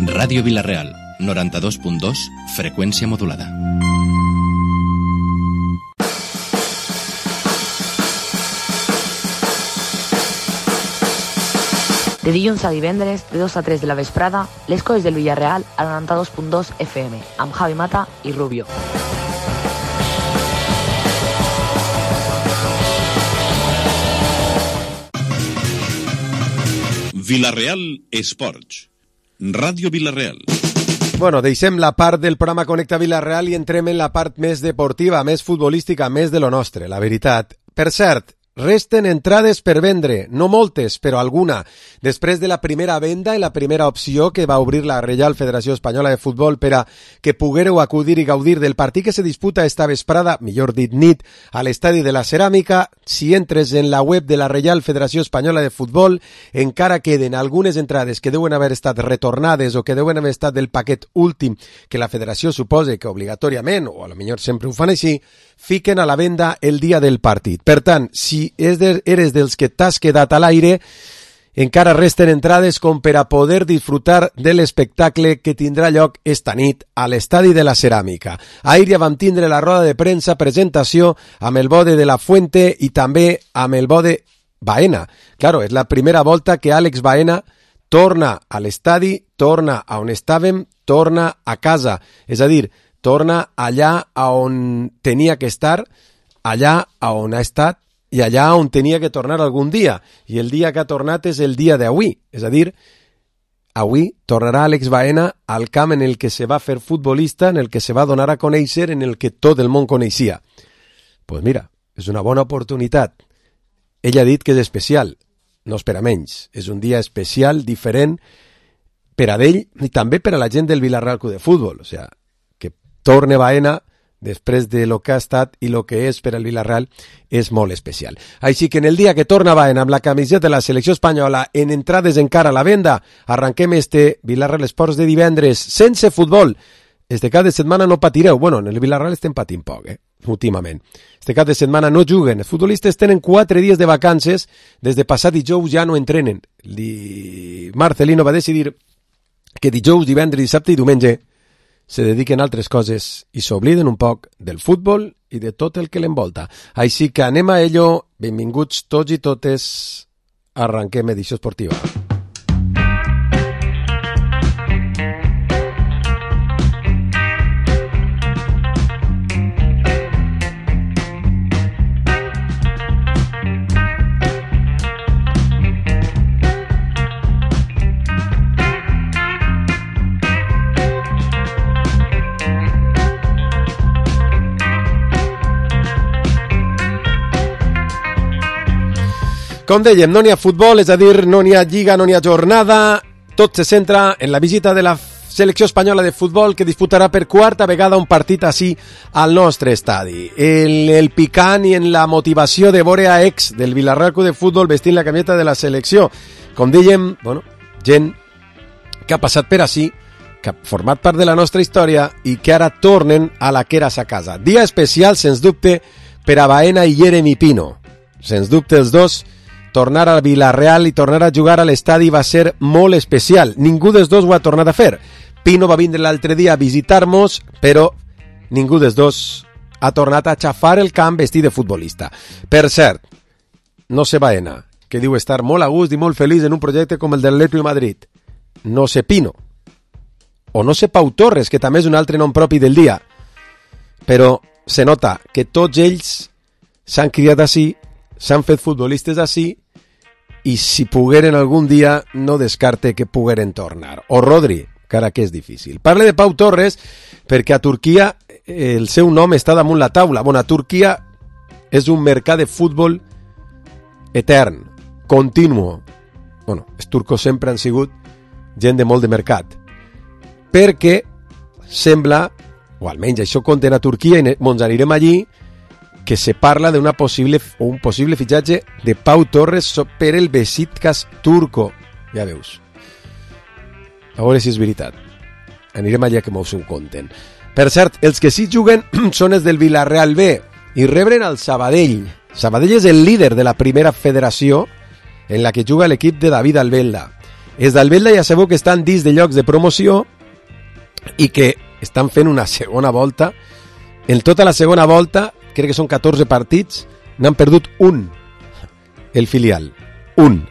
Ràdio Vila-real, 92.2, freqüència modulada. De dilluns a divendres, de 2 a 3 de la vesprada, les coses del Villarreal a 92.2 FM, amb Javi Mata i Rubio. Vila-real Esports. Ràdio Vila-real. Bueno, deixem la part del programa Connecta Vila-real i entrem en la part més deportiva, més futbolística, més de lo nostre, la veritat. Per cert, resten entrades per vendre, no moltes, però alguna. Després de la primera venda i la primera opció que va obrir la Reial Federació Espanyola de Futbol per a que poguéreu acudir i gaudir del partit que se disputa esta vesprada, millor dit nit, a l'Estadi de la Ceràmica, si entres en la web de la Reial Federació Espanyola de Futbol, encara queden algunes entrades que deuen haver estat retornades o que deuen haver estat del paquet últim que la Federació suposa que obligatòriament, o a lo millor sempre ho fan així, fiquen a la venda el dia del partit. Per tant, si eres dels que t'has quedat a l'aire, encara resten entrades com per a poder disfrutar de l'espectacle que tindrà lloc esta nit a l'Estadi de la Ceràmica. Ahir ja vam tindre la roda de premsa presentació amb el Bode de la Fuente i també amb el Bode Baena. Claro, és la primera volta que Àlex Baena torna a l'estadi, torna a on estàvem, torna a casa. És a dir, torna allà on tenia que estar, allà on ha estat i allà on tenia que tornar algun dia. I el dia que ha tornat és el dia d'avui. És a dir, avui tornarà Àlex Baena al camp en el que se va fer futbolista, en el que se va donar a conèixer, en el que tot el món coneixia. Pues mira, és una bona oportunitat. Ell ha dit que és especial, no és per a menys. És un dia especial, diferent, per a ell i també per a la gent del Villarreal Club de Futbol. O sigui, que torne Baena després de lo que ha estat i lo que és per al Villarreal és molt especial. Així que en el dia que torna Baena amb la camiseta de la selecció espanyola en entrades encara a la venda, arranquem este Villarreal Esports de divendres sense futbol. Este cap de setmana no patireu. Bueno, en el Villarreal estem patint poc, últimament. Este cap de setmana no juguen. Els futbolistes tenen 4 dies de vacances. Des de passat dijous ja no entrenen. Marcelino va decidir que dijous, divendres, dissabte i diumenge se dediquen a altres coses i s'obliden un poc del futbol i de tot el que l'envolta. Així que anem a ello. Benvinguts tots i totes. Arranquem edició esportiva. Com dèiem, no n'hi ha futbol, és a dir, no n'hi ha lliga, no n'hi ha jornada, tot se centra en la visita de la selecció espanyola de futbol que disputarà per quarta vegada un partit així al nostre estadi. El picant i en la motivació de veure a ex del Villarreal Club de Futbol vestint la camiseta de la selecció. Com dèiem, bueno, gent que ha passat per així, que ha format part de la nostra història i que ara tornen a la que era sa casa. Dia especial, sens dubte, per a Baena i Jeremy Pino. Sens dubte els dos. Tornar al Villarreal i tornar a jugar a l'estadi va ser molt especial. Ningú dels dos ho ha tornat a fer. Pino va vindre l'altre dia a visitar-nos, però ningú dels dos ha tornat a xafar el camp vestit de futbolista. Per cert, no sé Baena, que diu estar molt a gust i molt feliç en un projecte com el del Atlético de Madrid. No sé Pino. O no sé Pau Torres, que també és un altre nom propi del dia. Però se nota que tots ells s'han criat així, s'han fet futbolistes així, i si pogueren algun dia no descarte que pogueren tornar. O Rodri, encara que és difícil. Parle de Pau Torres perquè a Turquia el seu nom està damunt la taula. Bueno, a Turquia és un mercat de futbol etern, continuo. Bueno, els turcos sempre han sigut gent de molt de mercat. Perquè sembla, o almenys això conten a Turquia i ens anirem allí, que se parla de un possible fitxatge de Pau Torres per el Beşiktaş turco. Ja veus. A veure si és veritat. Anirem allà que m'ho conten. Per cert, els que sí juguen són els del Villarreal B i rebren el Sabadell. Sabadell és el líder de la primera federació en la que juga l'equip de David Albelda. Els del Vetla ja sabeu que estan dins de llocs de promoció i que estan fent una segona volta. En tota la segona volta, crec que són 14 partits, n'han perdut un, el filial, un.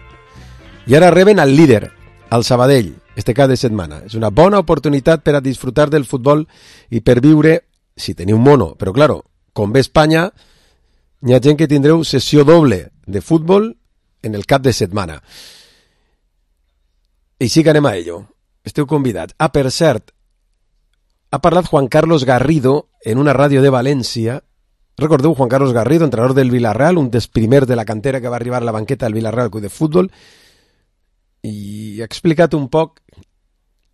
I ara reben al líder, al Sabadell, este cap de setmana. És una bona oportunitat per a disfrutar del futbol i per viure, si teniu mono, però claro, com ve Espanya, hi ha gent que tindreu sessió doble de futbol en el cap de setmana. I sí que anem a ello. Esteu convidats. Ah, per cert, ha parlat Juan Carlos Garrido en una ràdio de València. Recordeu Juan Carlos Garrido, entrenador del Villarreal, un dels primers de la cantera que va arribar a la banqueta del Villarreal Club de Futbol, i ha explicat un poc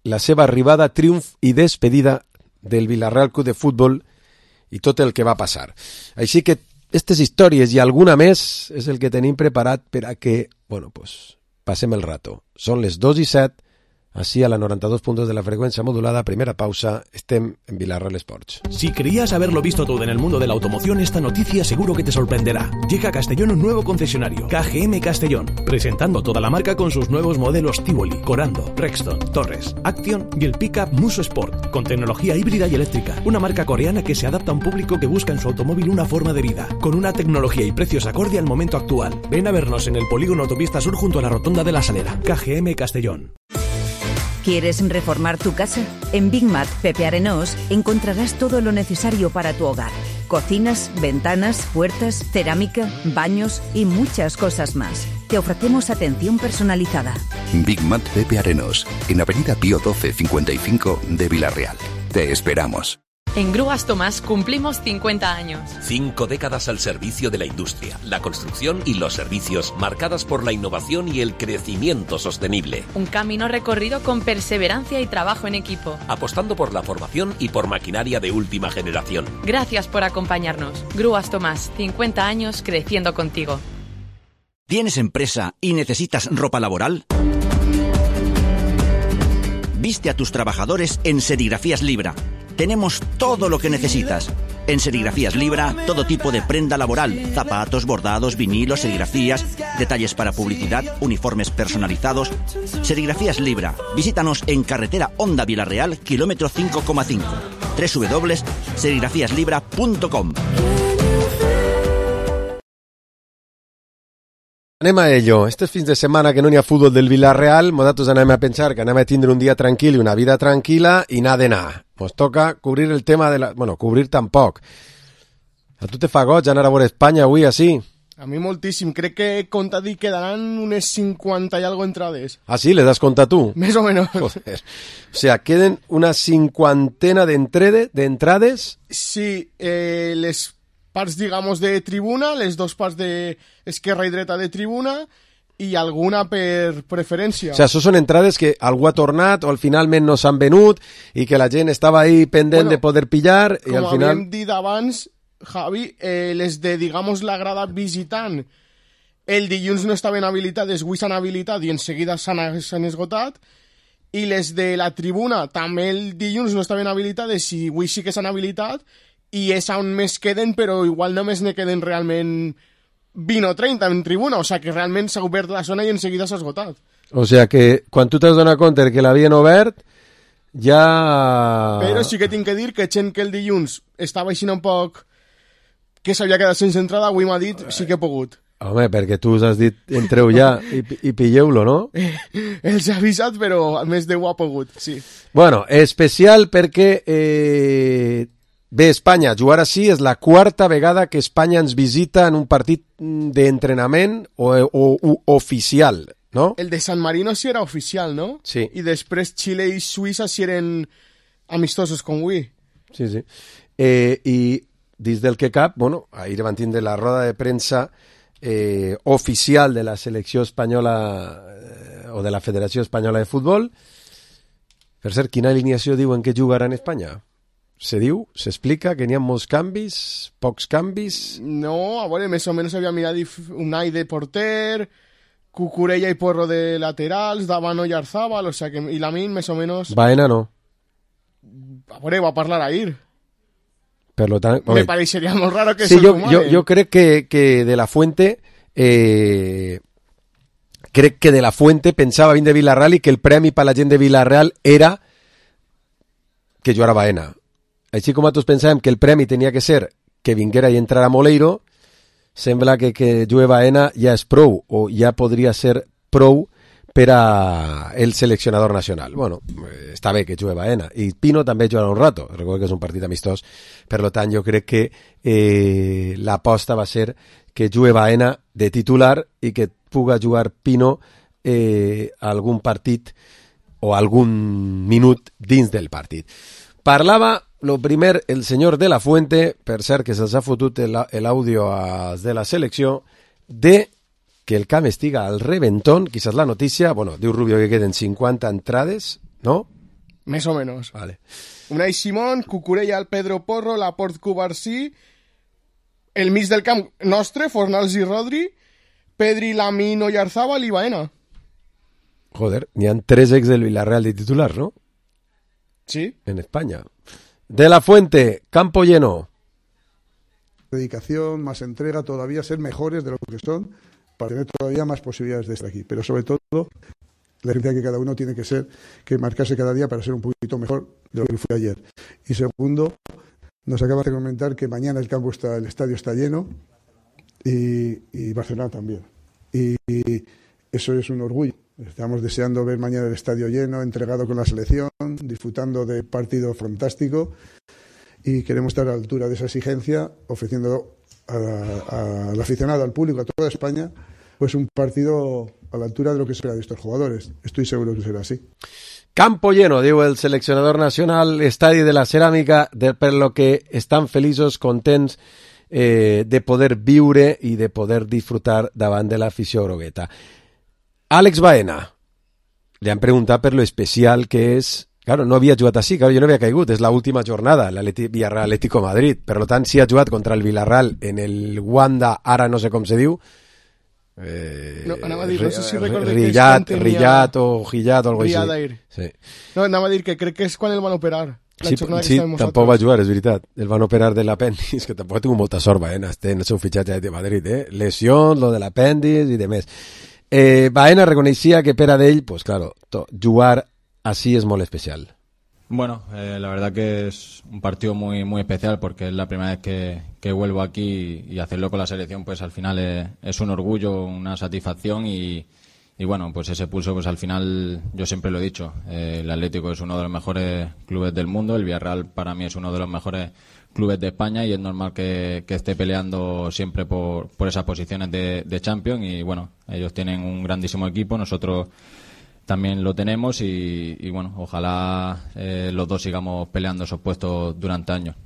la seva arribada, triomf i despedida del Villarreal Club de Futbol i tot el que va passar. Així que aquestes històries i alguna més és el que tenim preparat per a que, bueno, pues, passem el rato. Són les 2:07, así a la 92.2 de la frecuencia modulada. Primera pausa, estem en Villarreal Sports. Si creías haberlo visto todo en el mundo de la automoción, esta noticia seguro que te sorprenderá. Llega a Castellón un nuevo concesionario, KGM Castellón, presentando toda la marca con sus nuevos modelos Tivoli, Corando, Rexton, Torres, Action y el pickup Muso Sport, con tecnología híbrida y eléctrica. Una marca coreana que se adapta a un público que busca en su automóvil una forma de vida, con una tecnología y precios acorde al momento actual. Ven a vernos en el polígono Autopista Sur junto a la Rotonda de la Salera. KGM Castellón. ¿Quieres reformar tu casa? En Big Mat Pepe Arenós encontrarás todo lo necesario para tu hogar. Cocinas, ventanas, puertas, cerámica, baños y muchas cosas más. Te ofrecemos atención personalizada. Big Mat Pepe Arenós, en Avenida Pío 12 55 de Villarreal. Te esperamos. En Grúas Tomás cumplimos 50 años. 5 décadas al servicio de la industria, la construcción y los servicios, marcadas por la innovación y el crecimiento sostenible. Un camino recorrido con perseverancia y trabajo en equipo. Apostando por la formación y por maquinaria de última generación. Gracias por acompañarnos. Grúas Tomás, 50 años creciendo contigo. ¿Tienes empresa y necesitas ropa laboral? Viste a tus trabajadores en Serigrafías Libra. Tenemos todo lo que necesitas. En Serigrafías Libra, todo tipo de prenda laboral, zapatos, bordados, vinilos, serigrafías, detalles para publicidad, uniformes personalizados. Serigrafías Libra. Visítanos en carretera Honda Villarreal, kilómetro 5,5. www.serigrafíaslibra.com. Anem a ello. Este fins de setmana que no n'hi ha futbol del Villarreal, nosaltres anem a pensar que anem a tindre un dia tranquil i una vida tranquil·la i n'ha d'anar. Ens toca cobrir el tema de la... Bueno, cobrir tampoc. A tu te fa goig anar a veure Espanya avui, així? A mi moltíssim. Crec que he comptat i quedaran unes 50 i algo entrades. Ah, sí? Les has comptat tu? Més o menys. Joder. O sea, queden una cinquantena d'entrades? Sí, les parts, digamos, de tribuna, les dos parts d'esquerra i dreta de tribuna, i alguna per preferència. O sigui, això són entrades que algú ha tornat o al finalment no s'han venut i que la gent estava ahí pendent de poder pillar i al final... Com havíem dit abans, Javi, les de, digamos, la grada visitant, el dilluns no estaven habilitades, avui s'han habilitat i en seguida s'han esgotat, i les de la tribuna també el dilluns no estaven habilitades i avui sí que s'han habilitat, i és on més queden, però igual només ne queden realment 20 o 30 en tribuna, o sigui que realment s'ha obert la zona i en seguida s'ha esgotat. O sigui que quan tu t'has donat compte que l'havien obert, ja... Però sí que tinc que dir que gent que el dilluns estava així un poc que s'havia quedat sense entrada, avui m'ha dit sí que he pogut. Home, perquè tu us has dit entreu ja i pilleu-lo, no? Els he avisat, però més de ho ha pogut, sí. Bueno, especial perquè... Bé, Espanya, jugar així és la quarta vegada que Espanya ens visita en un partit d'entrenament o oficial, no? El de San Marino sí era oficial, no? Sí. I després Xile i Suïssa sí eren amistosos com avui. Sí, sí. I dins del que cap, bueno, ahir van tindre la roda de premsa oficial de la selecció espanyola o de la Federació Espanyola de Futbol. Per cert, quina alineació diuen que jugarà en Espanya? Se diu, s'explica que n'hi ha molts canvis, pocs canvis... No, a veure, més o menys havia mirat Unai de porter, Cucurella i Porro de laterals, Davano i Arzábal, o sea que, i Lamin més o menys... Baena no. A veure, va parlar ahir. Per lo tant... Me pareixeria molt raro que sí, jo crec que de la Fuente que crec que de la Fuente pensava vint de Villarreal i que el premi per la gent de Villarreal era que jugara Baena. Així com nosaltres pensàvem que el premi tenia que ser que vinguera i entrara Moleiro, sembla que jugue Baena ja és prou, o ja podria ser prou per a el seleccionador nacional. Bueno, està bé que jugue Baena, i Pino també jugarà un rato, recordo que és un partit amistós, per tant jo crec que l'aposta va ser que jugue Baena de titular i que puga jugar Pino algun partit o algun minut dins del partit. Parlava, lo primer, el senyor de la Fuente, per cert que se'ls ha fotut l'àudio de la selecció, de que el camp estiga al reventón, quizás la notícia, bueno, diu Rubio que queden 50 entrades, ¿no? Més o menos. Vale. Unai Simón, Cucurella, el Pedro Porro, Laporte, Cubarsí, el mig del camp nostre, Fornals i Rodri, Pedri, Lamine, Oyarzábal i Baena. Joder, n'hi ha 3 ex del Villarreal de titular, ¿no? Sí. En España. De la Fuente, campo lleno. Dedicación, más entrega, todavía ser mejores de lo que son, para tener todavía más posibilidades de estar aquí. Pero sobre todo, la exigencia que cada uno tiene que ser, que marcarse cada día para ser un poquito mejor de lo que fue ayer. Y segundo, nos acaba de comentar que mañana el estadio está lleno y Barcelona también. Y eso es un orgullo. Estamos deseando ver mañana el estadio lleno, entregado con la selección, disfrutando de partido fantástico y queremos estar a la altura de esa exigencia, ofreciendo al aficionado, al público, a toda España, pues un partido a la altura de lo que se espera de estos jugadores. Estoy seguro que será así. Campo lleno, diu el seleccionador nacional, estadi de la ceràmica, per lo que estan feliços, contents de poder viure i de poder disfrutar davant de l'afició grogueta. Àlex Baena, li han preguntat per lo especial que és. Claro, no havia jugat així, claro, jo no havia caigut, és l'última jornada, Villarreal Atlético Madrid, per tant, si ha jugat contra el Villarreal en el Wanda, ara no sé com se diu, no, anava a dir, no sé si recordo Rillat o Gillat o alguna cosa així. Sí. No, anava a dir que crec que és quan el van operar. Sí, tampoc va jugar, és veritat. El van operar de l'apèndix, que tampoc ha tingut molta sort, Baena, en el seu fitxatge de Madrid, lesió, lo de l'apèndix i demés. Baena reconeixia que per a d'ell, pues claro, jugar así es muy especial. Bueno, la verdad que es un partido muy muy especial porque es la primera vez que vuelvo aquí y hacerlo con la selección pues al final es un orgullo, una satisfacción y bueno, pues ese pulso pues al final yo siempre lo he dicho, el Atlético es uno de los mejores clubes del mundo, el Villarreal para mí es uno de los mejores clubes de España y es normal que esté peleando siempre por esas posiciones de Champions y bueno, ellos tienen un grandísimo equipo, nosotros también lo tenemos y bueno, ojalá los dos sigamos peleando esos puestos durante años.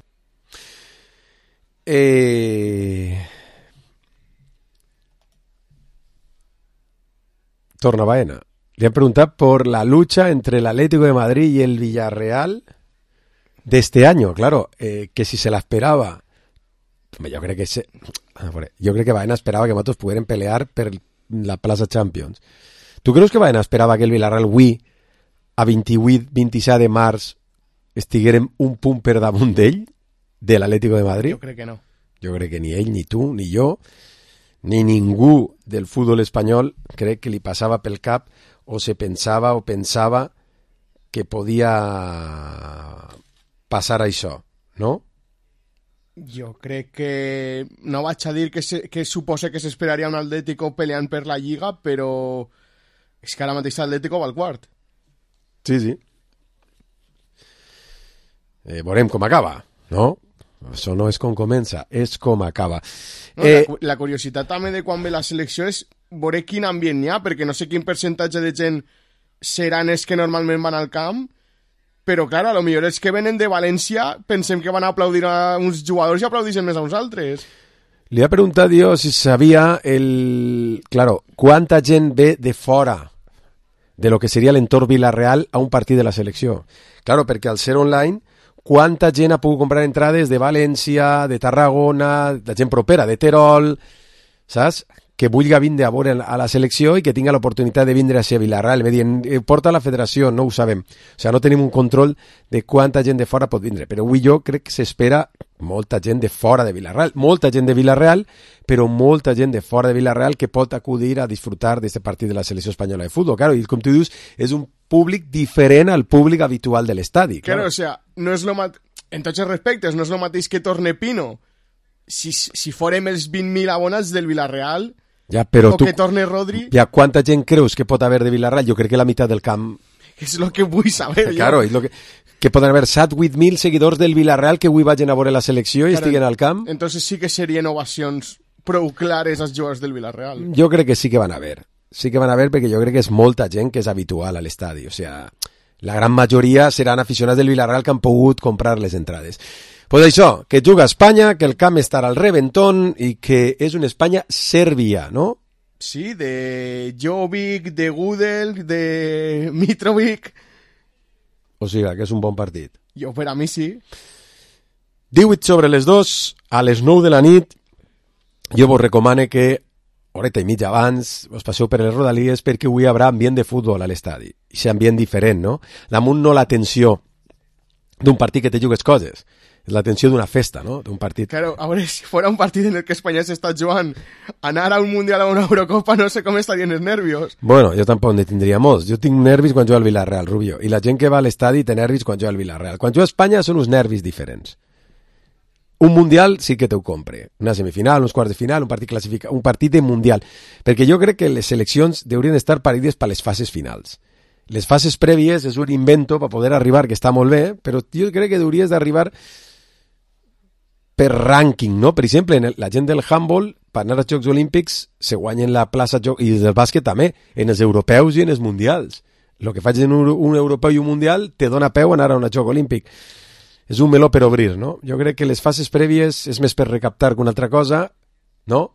Torna Baena. Le han preguntado por la lucha entre el Atlético de Madrid y el Villarreal de este año, claro, que si se la esperaba. Yo creo que Baena esperaba que Matos pudieran pelear per la plaça Champions. Tu creus que Baena esperava que el Villarreal avui, a 28-27 de març, estiguérem un punt per damunt d'ell, de l'Atlético de Madrid? Jo crec que no. Jo crec que ni ell, ni tu, ni jo, ni ningú del futbol espanyol crec que li passava pel cap o se pensava o pensava que podia passar això, no? Jo crec que no vaig a dir que suposa que s'esperaria un Atlético peleant per la Lliga, però és que ara mateix l'Atlético va al quart. Sí, sí. Veurem com acaba, no? Això no és com comença, és com acaba. No, la curiositat també de quan ve la selecció és veure quin ambient hi ha, perquè no sé quin percentatge de gent seran els que normalment van al camp, però, clar, a lo millor els que venen de València pensem que van a aplaudir a uns jugadors i aplaudixen més a uns altres. Li ha preguntat jo si sabia Claro, quanta gent ve de fora de lo que seria l'entorn Villarreal a un partit de la selecció. Claro, perquè al ser online, quanta gent ha pogut comprar entrades de València, de Tarragona, de gent propera, de Terol, saps? que vulgui vindre a veure a la selecció i que tinga l'oportunitat de vindre a ser Villarreal. Me diuen, porta la federació, no ho sabem. O sigui, no tenim un control de quanta gent de fora pot vindre, però avui jo crec que s'espera molta gent de fora de Villarreal, molta gent de Villarreal, però molta gent de fora de Villarreal que pot acudir a disfrutar d'aquest partit de la selecció espanyola de futbol. Claro, i com tu dius, és un públic diferent al públic habitual de l'estadi. Claro, o sea, no és lo en tots els respectes, no és el mateix que torne Pino. Si fórem els 20.000 abonats del Villarreal, ja, però o que torne Rodri... Ja, quanta gent creus que pot haver de Villarreal? Jo crec que la meitat del camp... És el que vull saber. Claro, és lo que poden haver 7-8.000 seguidors del Villarreal que avui vagin a veure la selecció i estiguen al camp. Entonces sí que serien ovacions prou clares als jugadors del Villarreal. Jo crec que sí que van a haver. Sí que van a haver perquè jo crec que és molta gent que és habitual a l'estadi. O sea, la gran majoria seran aficionats del Villarreal que han pogut comprar les entrades. Pues això, que juga a Espanya, que el camp estarà al reventón i que és una Espanya-Sèrbia, no? Sí, de Jovic, de Gudel, de Mitrovic. O sigui, que és un bon partit. Jo, per a mi sí. 18:02, a les 9 de la nit, jo vos recomano que horeta i mitja abans us passeu per les Rodalies perquè avui hi haurà ambient de futbol a l'estadi. I aquest ambient diferent, no? Damunt no la tensió d'un partit que te jugues coses, és la tensió d'una festa, no? D'un partit... Claro, a veure, si fora un partit en el que Espanya s'està jugant, anar a un Mundial o a una Eurocopa, no sé com estarien els nervios. Bueno, jo tampoc ne tindria molts. Jo tinc nervis quan jugo al Villarreal, Rubio, i la gent que va a l'estadi té nervis quan jugo al Villarreal. Quan jugo a Espanya són uns nervis diferents. Un Mundial sí que t'ho compre. Una semifinal, uns quarts de final, un partit classificat, un partit de Mundial. Perquè jo crec que les seleccions haurien d'estar parides per les fases finals. Les fases prèvies és un invento per poder arribar, que està molt bé, però jo crec que hauries d'arribar per rànquing, no? Per exemple, la gent del handball, per anar als Jocs Olímpics, se guanyen la plaça, i del bàsquet també, en els europeus i en els mundials. El que faig en un europeu i un mundial te dona peu a anar a un Joc Olímpic. És un meló per obrir, no? Jo crec que les fases prèvies és més per recaptar que una altra cosa, no?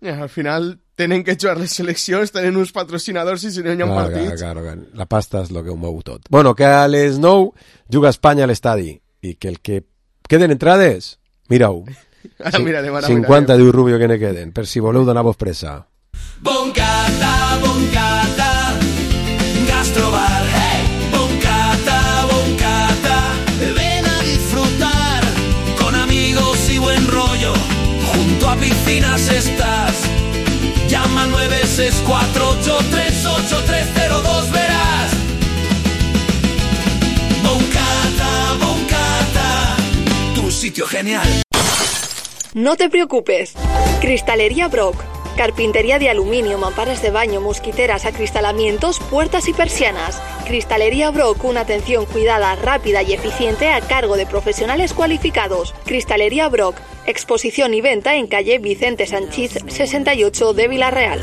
Al final tenen que jugar les seleccions, tenen uns patrocinadors i si no hi ha partits. Claro. La pasta és el que ho mou tot. Bueno, que a les 9 juga Espanya a l'estadi i que el que queden entrades, mira-ho. Ara mirarem, 50 diu Rubio que ne queden, per si voleu donar-vos pressa. Boncata, Gastrobar, hey. Boncata, ven a disfrutar con amigos y buen rollo. Junto a piscinas estás. Llama al 964838302, verás. Boncata, tu sitio genial. No te preocupes. Cristalería Brock. Carpintería de aluminio, mamparas de baño, mosquiteras, acristalamientos, puertas y persianas. Cristalería Brock, una atención cuidada, rápida y eficiente a cargo de profesionales cualificados. Cristalería Brock, exposición y venta en calle Vicente Sanchís 68 de Villarreal.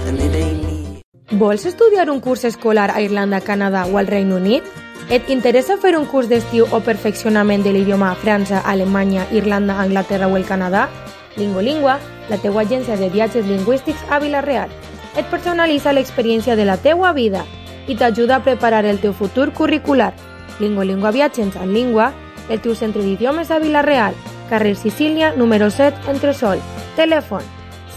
Vols estudiar un curs escolar a Irlanda, Canadà o al Regne Unit? Et interessa fer un curs d'estiu o perfeccionament de l'idioma a França, Alemanya, Irlanda, Anglaterra o el Canadà? Lingolingua, la teua agència de viatges lingüístics a Villarreal. Et personalitza l'experiència de la teua vida i t'ajuda a preparar el teu futur curricular. Lingolingua Viatges en Língua, el teu centre d'idiomes a Villarreal, carrer Sicília, número 7, Entresol. Telèfon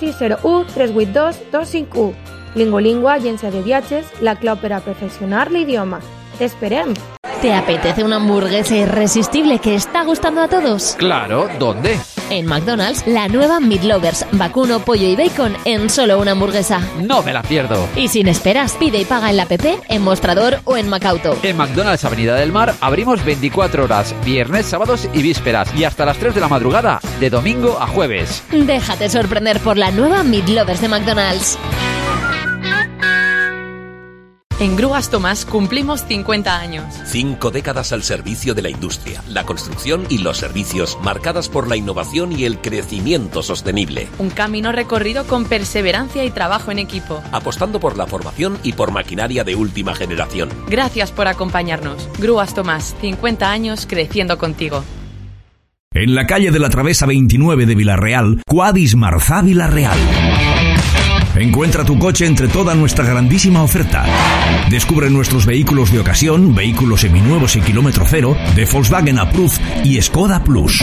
601-382-251. Lingolingua, agència de viatges, la clau per a perfeccionar l'idioma. ¡Te esperem! ¿Te apetece una hamburguesa irresistible que está gustando a todos? Claro, ¿dónde? En McDonald's, la nueva Meat Lovers, vacuno, pollo y bacon en solo una hamburguesa. No me la pierdo. Y sin esperas, pide y paga en la app, en Mostrador o en Macauto. En McDonald's Avenida del Mar abrimos 24 horas, viernes, sábados y vísperas, y hasta las 3 de la madrugada, de domingo a jueves. Déjate sorprender por la nueva Meat Lovers de McDonald's. En Grúas Tomás cumplimos 50 años. 5 décadas al servicio de la industria, la construcción y los servicios, marcadas por la innovación y el crecimiento sostenible. Un camino recorrido con perseverancia y trabajo en equipo. Apostando por la formación y por maquinaria de última generación. Gracias por acompañarnos. Grúas Tomás, 50 años creciendo contigo. En la calle de la Travesa 29 de Villarreal, Quadis Marzá Villarreal. Encuentra tu coche entre toda nuestra grandísima oferta. Descubre nuestros vehículos de ocasión, vehículos seminuevos y kilómetro cero, de Volkswagen Approved y Skoda Plus.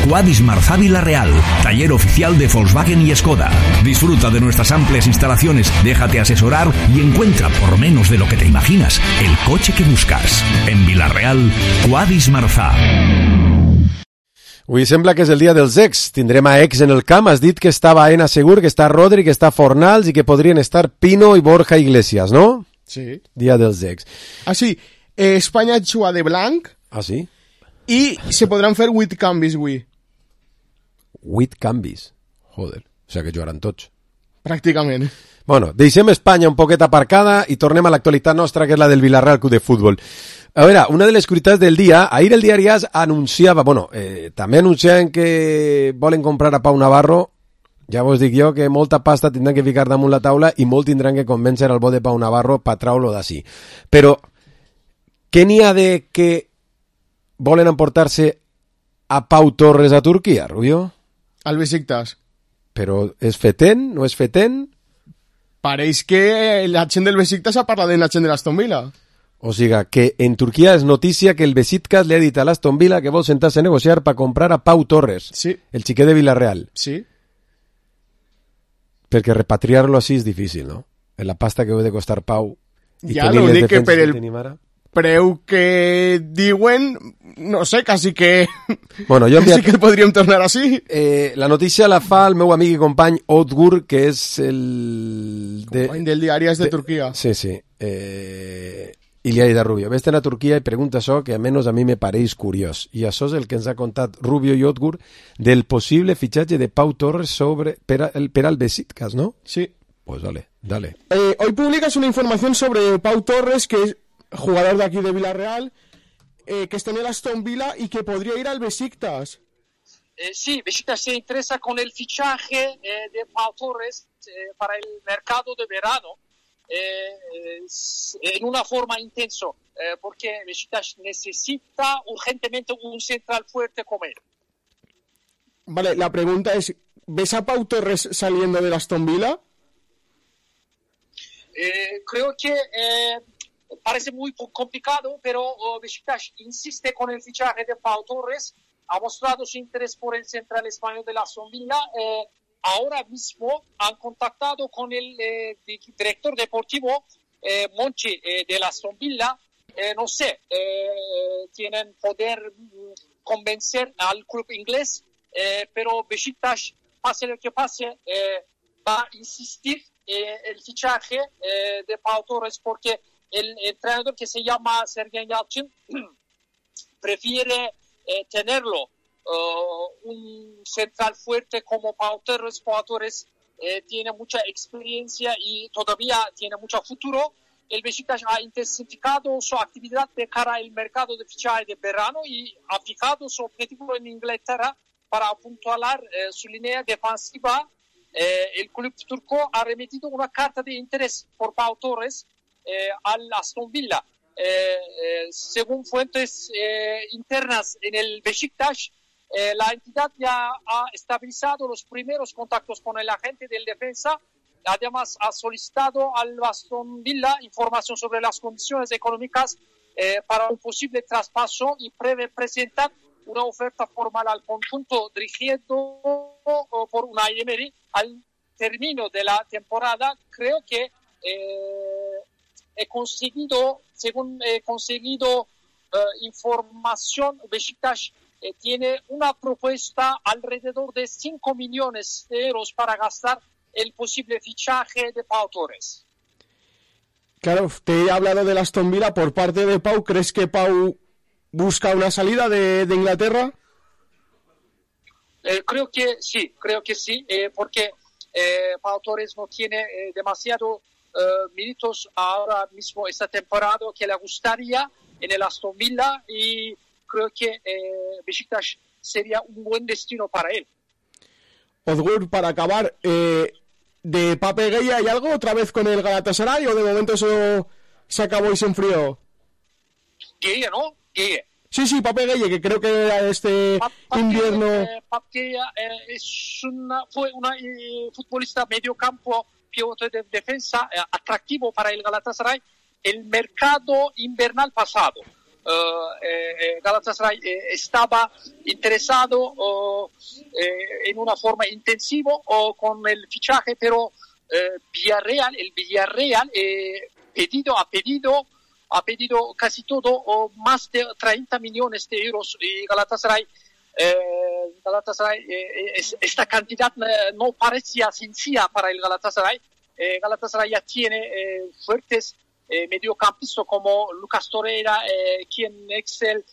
Quadis Marzá Vila-real, taller oficial de Volkswagen y Skoda. Disfruta de nuestras amplias instalaciones, déjate asesorar y encuentra por menos de lo que te imaginas el coche que buscas. En Vila-real, Quadis Marzá. Avui sembla que és el dia dels ex. Tindrem a ex en el camp. Has dit que està Baena segur, que està Rodri, que està Fornals i que podrien estar Pino i Borja Iglesias, ¿no? Sí. Dia dels ex. Ah, sí. Espanya juga de blanc. Ah, sí? I se podran fer 8 canvis avui. 8 canvis? Joder. O sigui que jugaran tots. Pràcticament. Bueno, deixem Espanya un poquet aparcada i tornem a l'actualitat nostra, que és la del Villarreal Club de Futbol. A veure, una de les curiositats del dia, ahir el diari AS anunciava, també anunciaven que volen comprar a Pau Navarro. Ja vos dic jo que molta pasta tindran que ficar damunt la taula i molt tindran que convèncer al bo de Pau Navarro per traure-lo d'ací. Però, què n'hi ha de que volen emportar-se a Pau Torres a Turquia, Rubio? Al Besiktas. Però és fetent? No és fetent? Pareix que la gent del Besiktas ha parlat de la gent de l'Aston Villa. O sigui, que en Turquia és notícia que el Besiktas li ha dit a l'Aston Villa que vol sentar-se a negociar per comprar a Pau Torres, sí. El xiquet de Villarreal. Sí. Perquè repatriar-lo així és difícil, no? En la pasta que heu de costar Pau. Ja no dic que per el preu que diuen, no sé, quasi que... Bueno, jo quasi que el podríem tornar així. La notícia la fa el meu amic i company Odgur, que és el... company del diari de Turquia. Sí, sí. Iliaida Rubio. Ves a Turquia i pregunta això que almenys a mi me pareix curiós. I això és el que ens ha contat Rubio i Odgur del possible fitxatge de Pau Torres per al Besiktas, ¿no? Sí. Pues dale. Hoy publicas una información sobre Pau Torres, que es jugador de aquí de Villarreal, que está en el Aston Villa y que podría ir al Besiktas. Sí, Besiktas se interesa con el fichaje de Pau Torres para el mercado de verano. En una forma intenso, porque Besiktas necesita urgentemente un central fuerte como él. Vale, la pregunta es, ¿ves a Pau Torres saliendo del Aston Villa? Creo que parece muy complicado, pero Besiktas insiste con el fichaje de Pau Torres, ha mostrado su interés por el central español de Aston Villa. Ahora mismo han contactado con el director deportivo Monchi de Aston Villa. No sé, tienen poder convencer al club inglés, pero Besiktas, pase lo que pase, va a insistir el fichaje de Pau Torres, porque el entrenador, que se llama Sergen Yalçın, prefiere tenerlo. Un central fuerte como Pau Torres. Pau Torres tiene mucha experiencia y todavía tiene mucho futuro. El Besiktas ha intensificado su actividad de cara al mercado de fichaje de verano y ha fijado su objetivo en Inglaterra para apuntalar su línea defensiva. El club turco ha remitido una carta de interés por Pau Torres al Aston Villa. Según fuentes internas en el Besiktas, la entidad ya ha estabilizado los primeros contactos con el agente del defensa. Además, ha solicitado al Aston Villa información sobre las condiciones económicas para un posible traspaso y prevé presentar una oferta formal al conjunto dirigido por Unai Emery al término de la temporada. Creo que según he conseguido información, Besiktas tiene una propuesta alrededor de 5 millones de euros para gastar el posible fichaje de Pau Torres. Claro, te he hablado del Aston Villa por parte de Pau. ¿Crees que Pau busca una salida de Inglaterra? Creo que sí, porque Pau Torres no tiene demasiado minutos ahora mismo esta temporada que le gustaría en el Aston Villa, y creo que Besiktas sería un buen destino para él. Odgur, para acabar, de Pape Gueye, ¿hay algo otra vez con el Galatasaray o de momento eso se acabó y se enfrió? Gueye, ¿no? Gueye. Sí, Pape Gueye, que creo que este invierno... Pape fue una futbolista medio campo, pivote de defensa, atractivo para el Galatasaray el mercado invernal pasado. Galatasaray estaba interesado en una forma intensiva con el fichaje, pero el Villarreal ha pedido casi todo, más de 30 millones de euros, y Galatasaray, esta cantidad no parecía sencilla para el Galatasaray. Galatasaray ya tiene fuertes mediocampistas como Lucas Torreira, quien es el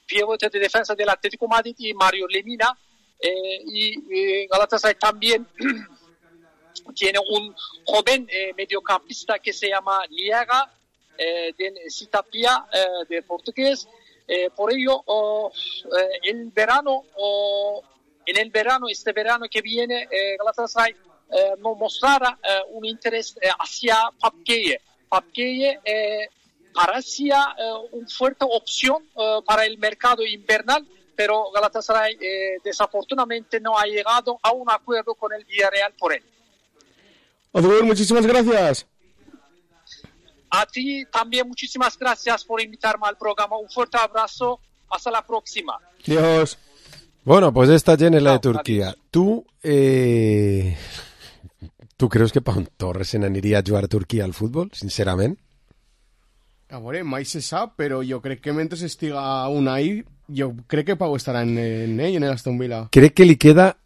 pivote de defensa del Atlético Madrid, y Mario Lemina, y Galatasaray también tiene un joven mediocampista que se llama Liaga, del Citapia, de portugués. Por ello, este verano que viene, Galatasaray no mostrará un interés hacia Papkeye. Papkeye parecía una fuerte opción para el mercado invernal, pero Galatasaray desafortunadamente no ha llegado a un acuerdo con el Villarreal por él. Odubel, muchísimas gracias. A ti también muchísimas gracias por invitarme al programa. Un fuerte abrazo. Hasta la próxima. Dios. Bueno, pues esta gent és la de Turquia. Tu creus que Pau Torres se n'aniria a jugar a Turquia al futbol, sincerament? A veure, mai se sap, però jo crec que mentre estiga Unai, jo crec que Pau estarà en l'Aston Villa. Crec que li queda...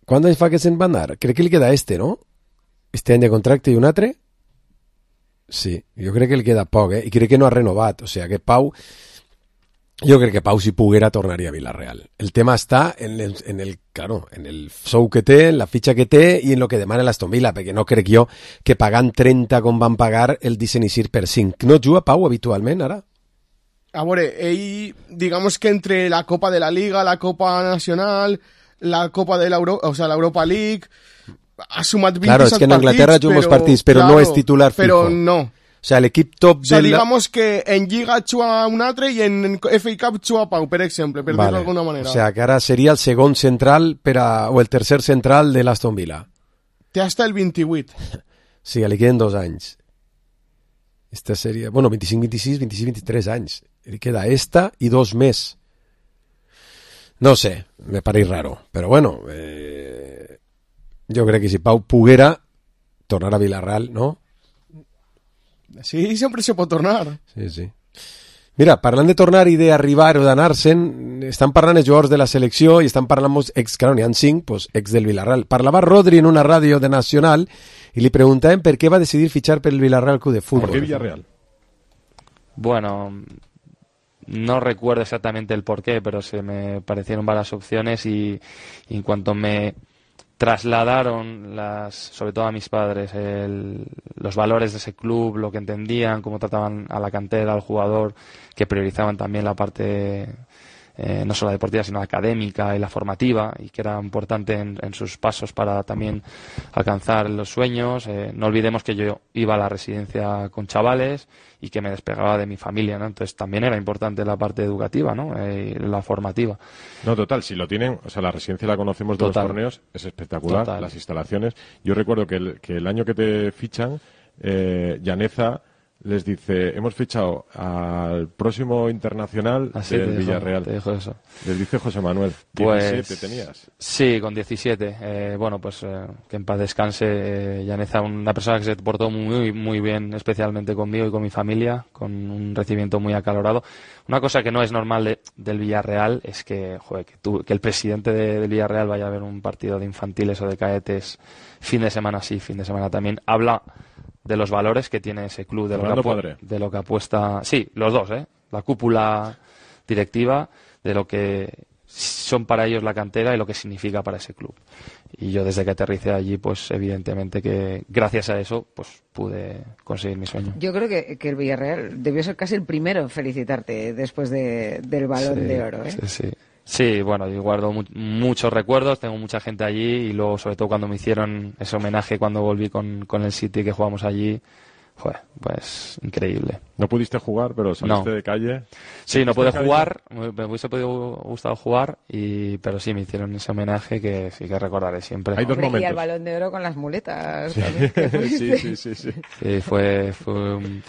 Quant anys fa que se'n va anar? Crec que li queda no? Este any de contracte i un altre? Sí, jo crec que li queda poc, i crec que no ha renovat, o sigui que Pau... Jo crec que Pau, si poguera, tornaria a Villarreal. El tema està en el sou que té, en la fitxa que té i en el que demana l'Aston Villa, perquè no crec jo que pagant 30 com van pagar el deixen eixir per 5. No juga Pau habitualment, ara? A veure, ell, digamos que entre la Copa de la Liga, la Copa Nacional, la Copa de l'Europa League, ha sumat 27 claro, és que en Anglaterra juga molts partits, però no és titular fijo. Però no. O sea, l'equip top de digamos que en Lliga juga un altre i en FA Cup juga Pau, per exemple, per dir-ho d'alguna manera. O sea, que ara seria el segon central o el tercer central de l'Aston Villa. Té hasta el 28. Sí, li queden 2 anys. Esta seria... Bueno, 25-26, 26-23 anys. Li queda esta i 2 més. No sé, me pareix raro. Però bueno, jo crec que si Pau poguera tornar a Villarreal, ¿no? Sí, sempre se pot tornar. Sí, sí. Mira, parlant de tornar i d'arribar o d'anar-se'n, estan parlant els jugadors de la selecció i estan parlant molts claro, n'hi ha 5, pues, ex del Villarreal. Parlava Rodri en una ràdio de Nacional i li preguntaven per què va decidir fichar per el Villarreal Club de Fútbol. ¿Por qué Villarreal? Bueno, no recuerdo exactamente el porqué, pero se me parecieron varias opciones y en cuanto me trasladaron sobre todo a mis padres los valores de ese club, lo que entendían, cómo trataban a la cantera, al jugador, que priorizaban también la parte no solo deportiva sino académica y la formativa, y que era importante en sus pasos para también alcanzar los sueños. No olvidemos que yo iba a la residencia con chavales y que me despegaba de mi familia, ¿no? Entonces también era importante la parte educativa, ¿no? La formativa. No, total, si lo tienen, o sea, la residencia la conocemos de los torneos, es espectacular, total. Las instalaciones. Yo recuerdo que el año que te fichan, Llaneza les dice, hemos fichado al próximo internacional del Villarreal. Te dijo eso. Les dice José Manuel. Pues, 17 tenías. Sí, con 17. Bueno, pues que en paz descanse. Llaneza, una persona que se portó muy, muy bien, especialmente conmigo y con mi familia, con un recibimiento muy acalorado. Una cosa que no es normal del Villarreal es que, joder, que el presidente del Villarreal vaya a ver un partido de infantiles o de cadetes fin de semana sí, fin de semana también. Habla de los valores que tiene ese club, de lo que apuesta... Sí, los dos, la cúpula directiva, de lo que son para ellos la cantera y lo que significa para ese club. Y yo desde que aterricé allí, pues evidentemente que gracias a eso pues pude conseguir mi sueño. Yo creo que el Villarreal debió ser casi el primero en felicitarte después del Balón de Oro. Sí, bueno, yo guardo muchos recuerdos, tengo mucha gente allí y luego sobre todo cuando me hicieron ese homenaje cuando volví con el City que jugamos allí, pues increíble. No pudiste jugar, pero saliste de calle. Sí, no pude jugar, me hubiese gustado jugar, pero sí me hicieron ese homenaje que sí que recordaré siempre. Hay dos momentos. Y el Balón de Oro con las muletas. Sí. Sí, fue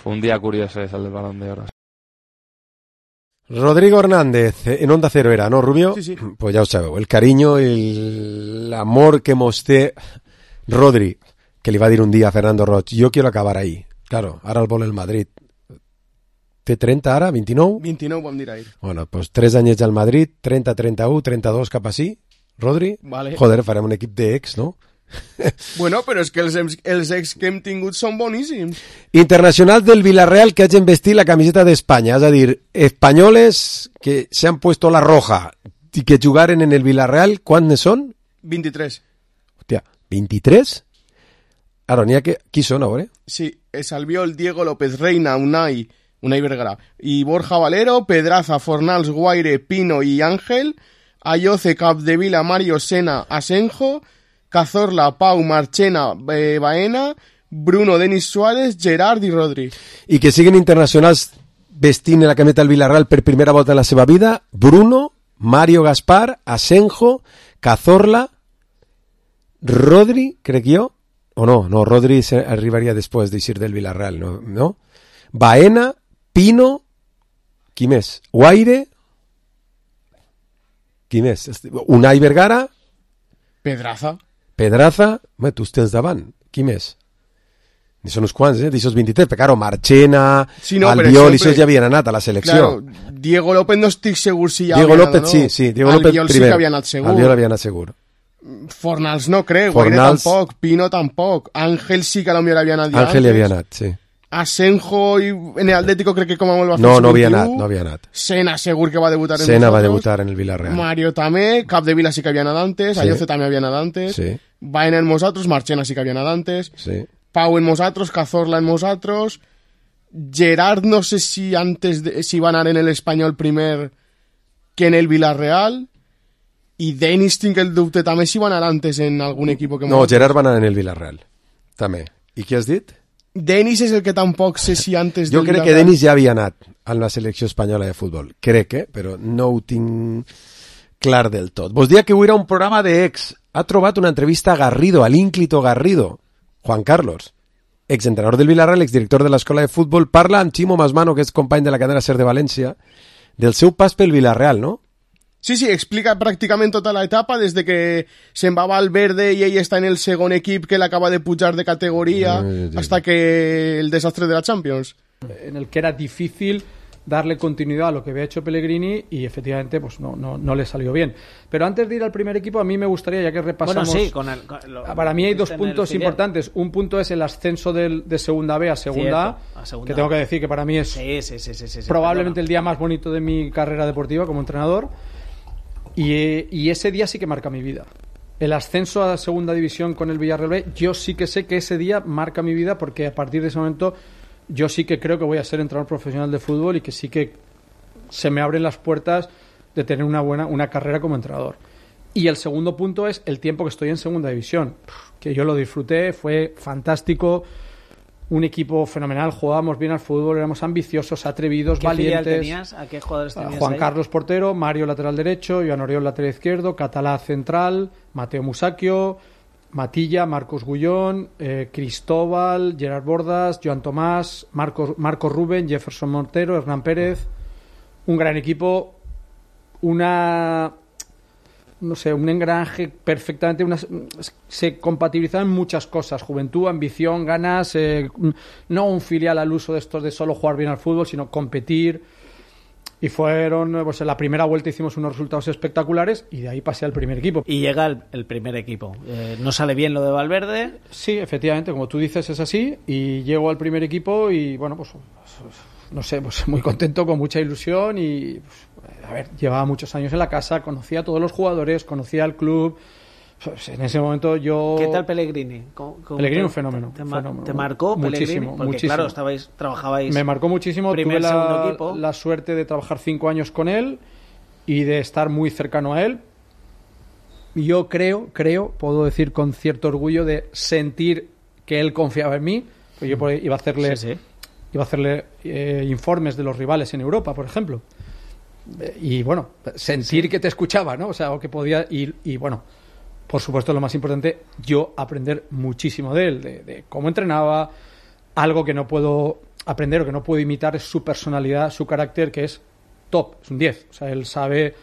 un día curioso ese del Balón de Oro. Rodrigo Hernández, en Onda Cero era, ¿no, Rubio? Sí, sí. Pues ja ho sabeu, el carinyo i l'amor que mos té Rodri, que li va dir un dia a Fernando Roig, jo quiero acabar ahí. Claro, ara el vol el Madrid. Té 30 ara, 29? 29 vam dir ahir. Bueno, pues 3 anyets al Madrid, 30, 31, 32 cap així. Rodri? Vale. Joder, farem un equip d'ex, no? Bueno, però és que els ex que hem tingut són boníssims. Internacional del Villarreal que hagin vestit la camiseta d'Espanya, és a dir, espanyoles que se han puesto la roja i que jugaren en el Villarreal, quants són? 23. Hòstia, 23? Ara, n'hi ha que... Qui són, a veure? Sí, es Albiol, Diego López Reina, Unai Vergara, y Borja Valero, Pedraza, Fornals, Guaire, Pino y Ángel, Ayoce, Capdevila, Mario, Sena, Asenjo, Cazorla, Pau, Marchena, Baena, Bruno, Denis Suárez, Gerard i Rodri. I que siguin internacionals vestint la camiseta del Villarreal per primera volta en la seva vida, Bruno, Mario Gaspar, Asenjo, Cazorla, Rodri, crec jo, o no, Rodri arribaria després d'eixir del Villarreal, no? Baena, Pino, qui més? Guaire, qui més? Unai Vergara, Pedraza, tu els tens davant, qui més? Ni són uns quants, d'aixòs 23, però claro, Marchena, sí, no, Albiol, i això ja havien anat a la selecció. Claro, Diego López no estic segur si ja Diego López, no? Sí, Diego López Albiol primer. Sí que havia anat segur. Albiol havia anat segur. Fornals no crec, Guaire tampoc, Pino tampoc, Ángel sí que potser havia anat ja Ángel hi havia anat, sí. Asenjo i en el Atlético crec que com a molt va fer no havia anat. Sena segur que va debutar en Sena va debutar en el Villarreal. Mario també, Capdevila sí que havia anat antes, sí. Ayoce també havia anat antes, sí. Baena en nosaltres, Marchena sí que havia anat antes, sí. Pau en nosaltres, Cazorla en nosaltres, Gerard no sé si antes si va anar en el Espanyol primer que en el Villarreal, i Denis tinc el dubte també si va anar antes en algun equip que... No, Gerard va anar en el Villarreal també. I què has dit? Denis és el que tampoc sé si antes... Jo crec que Denis ja havia anat a la selecció espanyola de futbol. Crec, però no ho tinc clar del tot. Vos dia que avui era un programa d'ex. Ha trobat una entrevista a Garrido, a l'ínclito Garrido. Juan Carlos, exentrenador del Villarreal, exdirector de l'escola de futbol, parla amb Chimo Masmano, que és company de la cadena SER de València, del seu pas pel Villarreal, no? Sí, explica pràcticament tota l'etapa, des de que se'n va a Valverde i ell està en el segon equip que l'acaba de pujar de categoria, hasta que el desastre de la Champions. En el que era difícil darle continuidad a lo que había hecho Pellegrini y efectivamente pues no le salió bien. Pero antes de ir al primer equipo, a mí me gustaría, ya que repasamos... Bueno, sí, para mí hay dos puntos importantes. Un punto es el ascenso de Segunda B a Segunda A, que tengo que decir que para mí es probablemente el día más bonito de mi carrera deportiva como entrenador. Y ese día sí que marca mi vida. El ascenso a Segunda División con el Villarreal B, yo sí que sé que ese día marca mi vida, porque a partir de ese momento yo sí que creo que voy a ser entrenador profesional de fútbol y que sí que se me abren las puertas de tener una carrera como entrenador. Y el segundo punto es el tiempo que estoy en Segunda División, que yo lo disfruté, fue fantástico. Un equipo fenomenal, jugábamos bien al fútbol, éramos ambiciosos, atrevidos, valientes. ¿Qué filial tenías? ¿A qué jugadores tenías Juan ahí? Carlos portero, Mario lateral derecho, Joan Oriol lateral izquierdo, Catalá central, Mateo Musacchio, Matilla, Marcos Gullón, Cristóbal, Gerard Bordas, Joan Tomás, Marcos Rubén, Jefferson Montero, Hernán Pérez. Un gran equipo, un engranaje perfectamente, se compatibilizaban muchas cosas: juventud, ambición, ganas, no un filial al uso de estos de solo jugar bien al fútbol, sino competir. Y fueron, pues en la primera vuelta hicimos unos resultados espectaculares y de ahí pasé al primer equipo. Y llega el primer equipo. ¿No sale bien lo de Valverde? Sí, efectivamente, como tú dices, es así. Y llego al primer equipo y bueno, pues no sé, pues muy contento, con mucha ilusión y a ver, llevaba muchos años en la casa, conocía a todos los jugadores, conocía al club. Pues en ese momento yo... ¿Qué tal Pellegrini? Pellegrini un fenómeno. ¿Te marcó Pellegrini? Muchísimo, porque muchísimo. Claro, trabajabais... Me marcó muchísimo. Primer, tuve segundo equipo. La suerte de trabajar 5 años con él y de estar muy cercano a él. Yo creo, puedo decir con cierto orgullo, de sentir que él confiaba en mí. Pues yo iba a hacerle informes de los rivales en Europa, por ejemplo. Y bueno, sentir que te escuchaba, ¿no? O sea, o que podía ir. Y bueno, por supuesto, lo más importante, yo aprender muchísimo de él, de cómo entrenaba. Algo que no puedo aprender o que no puedo imitar es su personalidad, su carácter, que es top, es un 10. O sea, él sabe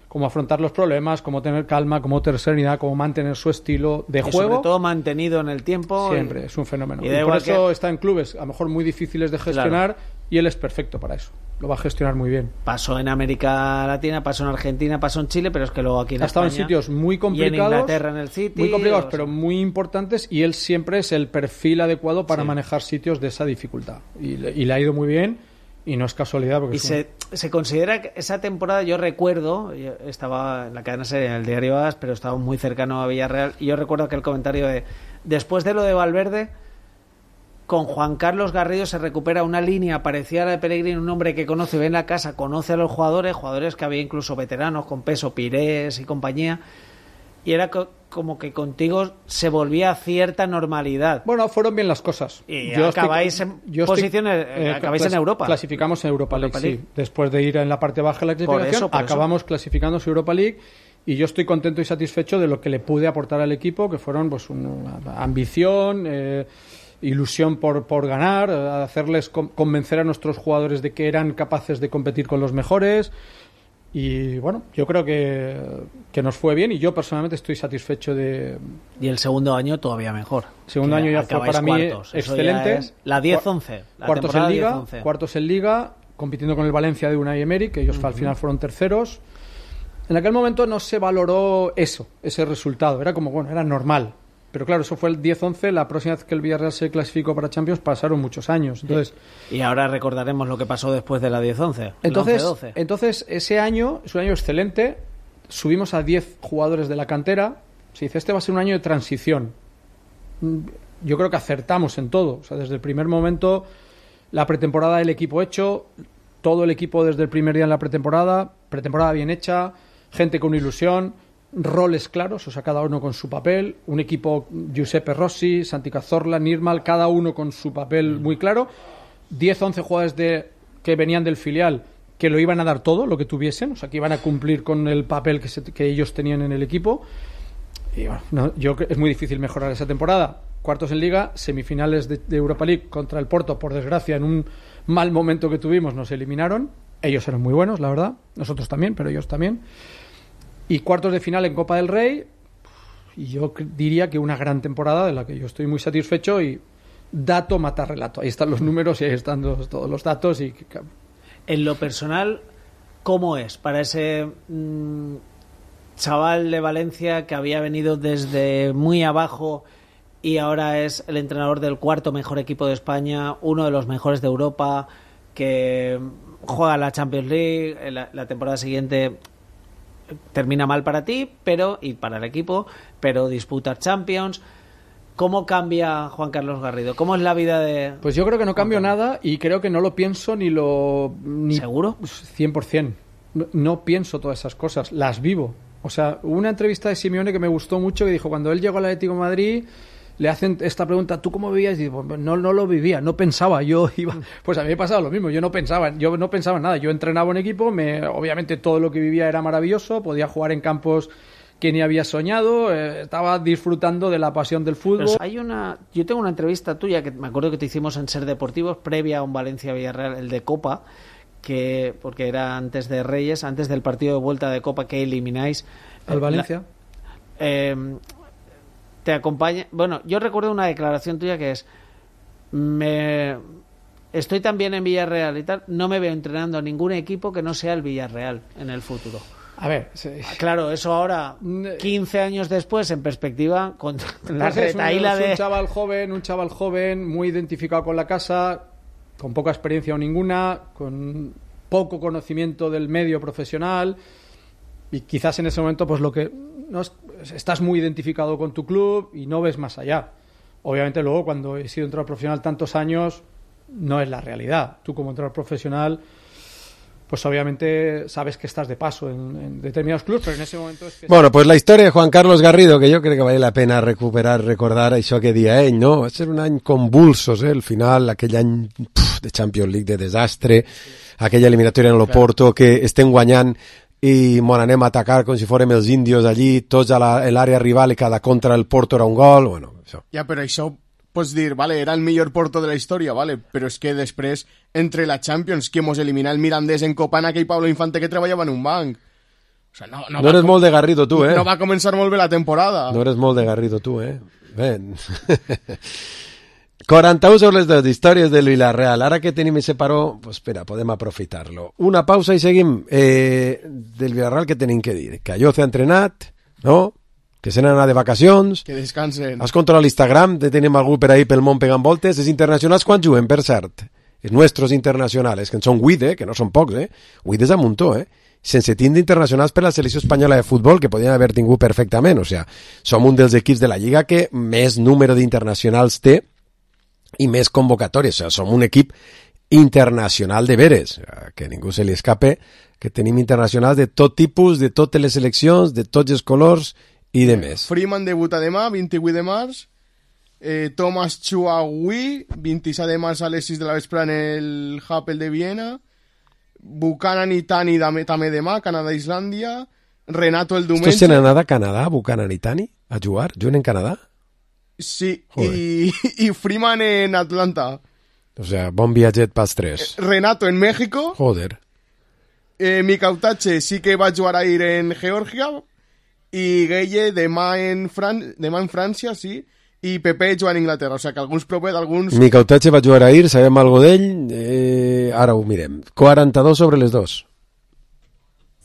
cómo afrontar los problemas, cómo tener calma, cómo tener serenidad, cómo mantener su estilo de juego. Sobre todo mantenido en el tiempo. Siempre, es un fenómeno. Y por eso está en clubes a lo mejor muy difíciles de gestionar, y él es perfecto para eso. Lo va a gestionar muy bien. Pasó en América Latina, pasó en Argentina, pasó en Chile, pero es que luego aquí en España... Ha estado en sitios muy complicados. Y en Inglaterra, en el City. Muy complicados, pero muy importantes, y él siempre es el perfil adecuado para manejar sitios de esa dificultad. Y le ha ido muy bien, y no es casualidad. Porque se considera que esa temporada, yo recuerdo, yo estaba en la cadena serie, en el diario AS, pero estaba muy cercano a Villarreal, y yo recuerdo aquel comentario de, después de lo de Valverde, con Juan Carlos Garrido se recupera una línea parecida a la de Pellegrini, un hombre que conoce, ve en la casa, conoce a los jugadores que había incluso veteranos con peso, Pires y compañía, y era como que contigo se volvía a cierta normalidad. Bueno, fueron bien las cosas. Y acabáis en Europa. Clasificamos en Europa League, sí. Después de ir en la parte baja de la clasificación, acabamos clasificando en Europa League, y yo estoy contento y satisfecho de lo que le pude aportar al equipo, que fueron pues una ambición, ilusión por ganar, hacerles convencer a nuestros jugadores de que eran capaces de competir con los mejores. Y bueno, yo creo que nos fue bien, y yo personalmente estoy satisfecho de... Y el segundo año todavía mejor. El segundo año ya fue para mí excelente. La 10-11. Cuartos en Liga, compitiendo con el Valencia de Unai Emery, que ellos al final fueron terceros. En aquel momento no se valoró ese resultado. Era como, bueno, era normal. Pero claro, eso fue el 10-11. La próxima vez que el Villarreal se clasificó para Champions pasaron muchos años. Entonces, y ahora recordaremos lo que pasó después de la 10-11. Entonces, ese año es un año excelente. Subimos a 10 jugadores de la cantera. Se dice, este va a ser un año de transición. Yo creo que acertamos en todo. O sea, desde el primer momento, la pretemporada del equipo hecho, todo el equipo desde el primer día en la pretemporada bien hecha, gente con ilusión, roles claros, o sea, cada uno con su papel, un equipo Giuseppe Rossi, Santi Cazorla, Nirmal, cada uno con su papel muy claro, 10-11 jugadores que venían del filial que lo iban a dar todo, lo que tuviesen, o sea, que iban a cumplir con el papel que ellos tenían en el equipo. Y bueno, es muy difícil mejorar esa temporada. Cuartos en Liga, semifinales de Europa League contra el Porto, por desgracia, en un mal momento que tuvimos, nos eliminaron. Ellos eran muy buenos, la verdad, nosotros también, pero ellos también. Y cuartos de final en Copa del Rey, y yo diría que una gran temporada de la que yo estoy muy satisfecho, y dato mata relato. Ahí están los números y ahí están todos los datos. Y en lo personal, ¿cómo es para ese chaval de Valencia que había venido desde muy abajo y ahora es el entrenador del cuarto mejor equipo de España, uno de los mejores de Europa, que juega la Champions League, la temporada siguiente termina mal para ti y para el equipo, pero disputa Champions? ¿Cómo cambia Juan Carlos Garrido? ¿Cómo es la vida de...? Pues yo creo que no cambio nada, y creo que no lo pienso ¿Seguro? 100%. No pienso todas esas cosas, las vivo. O sea, hubo una entrevista de Simeone que me gustó mucho, que dijo, cuando él llegó al Atlético de Madrid, le hacen esta pregunta, ¿tú cómo vivías? Y digo, no lo vivía, no pensaba, yo iba... Pues a mí me pasaba lo mismo, yo no pensaba en nada, yo entrenaba un equipo, obviamente todo lo que vivía era maravilloso, podía jugar en campos que ni había soñado, estaba disfrutando de la pasión del fútbol. Yo tengo una entrevista tuya, que me acuerdo que te hicimos en Ser Deportivos, previa a un Valencia-Villarreal, el de Copa, porque era antes de Reyes, antes del partido de vuelta de Copa que elimináis al Valencia. Te acompaña. Bueno, yo recuerdo una declaración tuya que es: estoy también en Villarreal y tal, no me veo entrenando a ningún equipo que no sea el Villarreal en el futuro. A ver, sí. Claro, eso ahora, 15 años después, en perspectiva, con la retaíla de... Un chaval joven, muy identificado con la casa, con poca experiencia o ninguna, con poco conocimiento del medio profesional, y quizás en ese momento pues estás muy identificado con tu club y no ves más allá. Obviamente luego, cuando he sido entrenador profesional tantos años, no es la realidad. Tú, como entrenador profesional, pues obviamente sabes que estás de paso en determinados clubs, pero en ese momento es que... Bueno, pues la historia de Juan Carlos Garrido, que jo crec que vale la pena recordar això que dia ell, no? Va ser un any convulsos, el final, aquell any de Champions League de desastre, aquella eliminatòria en l'Oporto, que estem guanyant i mon anem a atacar com si fórem els índios allí, tots a l'àrea rival, i cada contra el Porto era un gol, bueno, això. Ja, però això pots dir, vale, era el millor Porto de la història, vale, però és que després, entre la Champions, que mos elimina el Mirandés en Copa en aquell Pablo Infante que treballava en un banc. O sea, no eres molt de Garrido, tu, No va començar molt bé la temporada. No eres molt de Garrido, tu, Ben. 41 sobre les dues històries del Villarreal. Ara que tenim ese paró, pues espera, podem aprofitar-lo. Una pausa i seguim. Del Villarreal, què tenim que dir? Que allò s'ha entrenat, no? Que se n'han anat de vacacions. Que descansen. Has controlat l'Instagram, tenim algú per ahí pel món pegant voltes. Els internacionals quan juguen, per cert? Els nostres internacionals, que en són 8, que no són pocs, 8 és a muntó, sense tindre internacionals per la selecció espanyola de futbol, que podien haver tingut perfectament. O sea, som un dels equips de la Lliga que més número d'internacionals té i més convocatòries. O sea, som un equip internacional de veres, que ningú se li escape, que tenim internacionals de tot tipus, de totes les seleccions, de tots els colors i de més. Freeman debuta demà, 28 de març. Thomas Chuagui, 27 de març a les 6 de la vespre en el Happel de Viena. Buchanan i Tani també demà, Canadà-Islàndia. Renato el diumenge. Estos se n'han anat a Canadà, Buchanan i Tani, a jugar? Juguen en Canadà? Sí, i Freeman en Atlanta. O sea, bon viatget pels tres. Renato en México. Joder. Mikautache sí que va jugar ahir en Georgia. I Gueye demà en França, sí. I Pepe juga en Inglaterra. O sea, que alguns propers, alguns... Mikautache va jugar ahir, sabem algo d'ell. Ara ho mirem. 42 sobre les dos.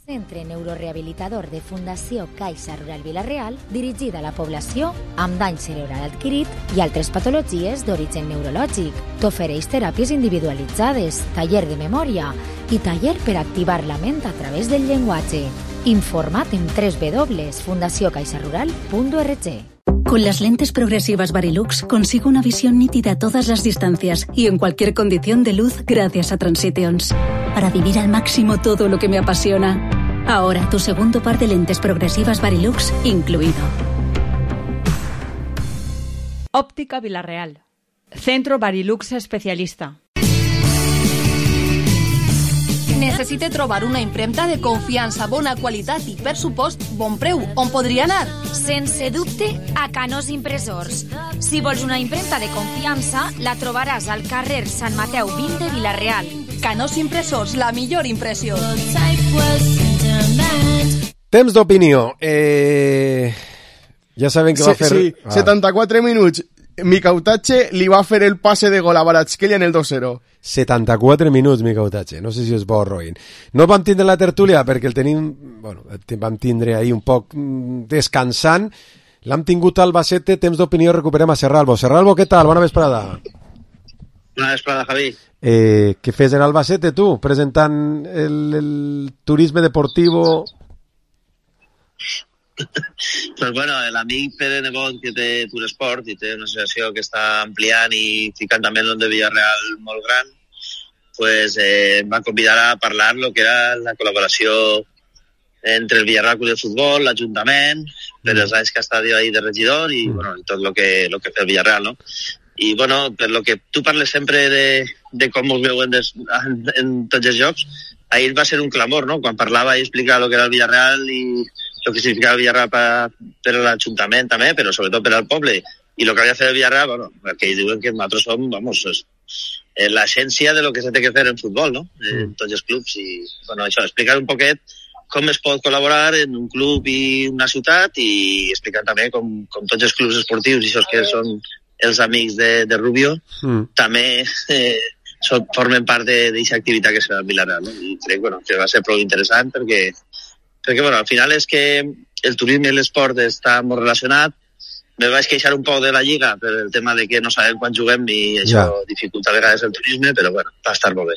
Centre neurorehabilitador de Fundació Caixa Rural Vila-real, dirigida a la població amb dany cerebral adquirit i altres patologies d'origen neurològic. T'ofereix teràpies individualitzades, taller de memòria i taller per activar la ment a través del llenguatge. Informa't en www.fundaciocaixarural.org. Con las lentes progresivas Varilux consigo una visión nítida a todas las distancias y en cualquier condición de luz gracias a Transitions. Para vivir al máximo todo lo que me apasiona. Ahora tu segundo par de lentes progresivas Varilux incluido. Óptica Vila-real. Centro Varilux especialista. Necessite trobar una impremta de confiança, bona qualitat i, per supost, bon preu. On podria anar? Sense dubte, a Canós Impressors. Si vols una impremta de confiança, la trobaràs al carrer Sant Mateu 20 de Vila-real. Canós Impressors, la millor impressió. Temps d'opinió. Ja saben que va fer... Sí, 74 minuts. Mikautache li va fer el passe de gol a Kvaratskhelia en el 2-0. 74 minuts, Mikautache. No sé si és bo o roïn. No vam tindre la tertúlia perquè el tenim... Bueno, vam tindre ahir un poc descansant. L'hem tingut al Albacete. Temps d'opinió, recuperem a Serralbo. Serralbo, què tal? Bona vesprada. Bona vesprada, Javi. Què fes en Albacete, tu? Presentant el turisme deportivo... Pues bueno, l'amic Pere Nebot, que té Turesport i té una associació que està ampliant i ficant també el nom de Villarreal molt gran, pues em va convidar a parlar lo que era la col·laboració entre el Villarreal Club de Futbol, l'Ajuntament, per els anys que ha estat ahí de regidor i bueno, tot lo que fa el Villarreal, no? I bueno, per lo que tu parles sempre de com us veuen en tots els jocs, ahir va ser un clamor, no? Quan parlava i explicava lo que era el Villarreal i el que significava el Villarreal per a l'Ajuntament també, però sobretot per al poble. I el que havia de fer el Villarreal, bueno, perquè diuen que nosaltres som, vamos, l'essència de lo que se té que fer en futbol, no? En tots els clubs. I, bueno, això, explicar un poquet com es pot col·laborar en un club i una ciutat i explicant també com tots els clubs esportius i això que són els amics de Rubio també formen part d'aquesta activitat que es fa al Villarreal, no? I crec, bueno, que va ser prou interessant perquè bueno, al final és que el turisme i l'esport està molt relacionat. Me vaig queixar un poc de la Lliga per el tema de que no sabem quan juguem i això dificulta a vegades el turisme, però bueno, va estar molt bé.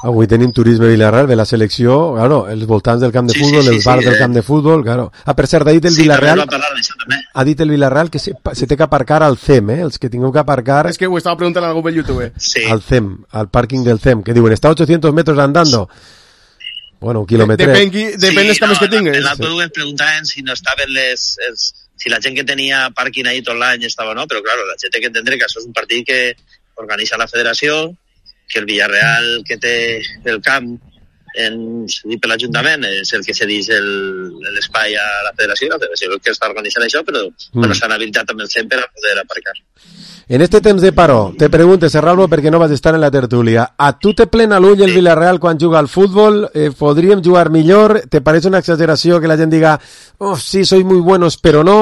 Avui tenim turisme Villarreal de la selecció, claro, els voltants del camp de futbol, els bars del camp de futbol, claro. Per cert, ha dit el Villarreal... Ha dit el Villarreal que se té que aparcar al CEM, els que tingueu que aparcar... És que ho estava preguntant a algú pel YouTube. Sí. Al CEM, al pàrquing del CEM, que diuen, està a 800 metros andando. Bueno, un quilòmetre. Depèn dels camps que tingues. L'altre es preguntaven si no estaven si la gent que tenia pàrquing ahí tot l'any estava o no, però claro, la gent té que entendre que això és un partit que organitza la federació, que el Villarreal que té el camp per l'Ajuntament és el que cedeix l'espai a la federació és el que està organitzant això, però bueno, s'han habilitat amb el CEM per a poder aparcar. En este temps de paró, te pregunte, Serralbo, perquè no vas estar en la tertúlia. A tu te plena l'ull el Villarreal quan juga al futbol? ¿Podríem jugar millor? ¿Te parece una exageració que la gent diga oh, sí, sois muy buenos, però no?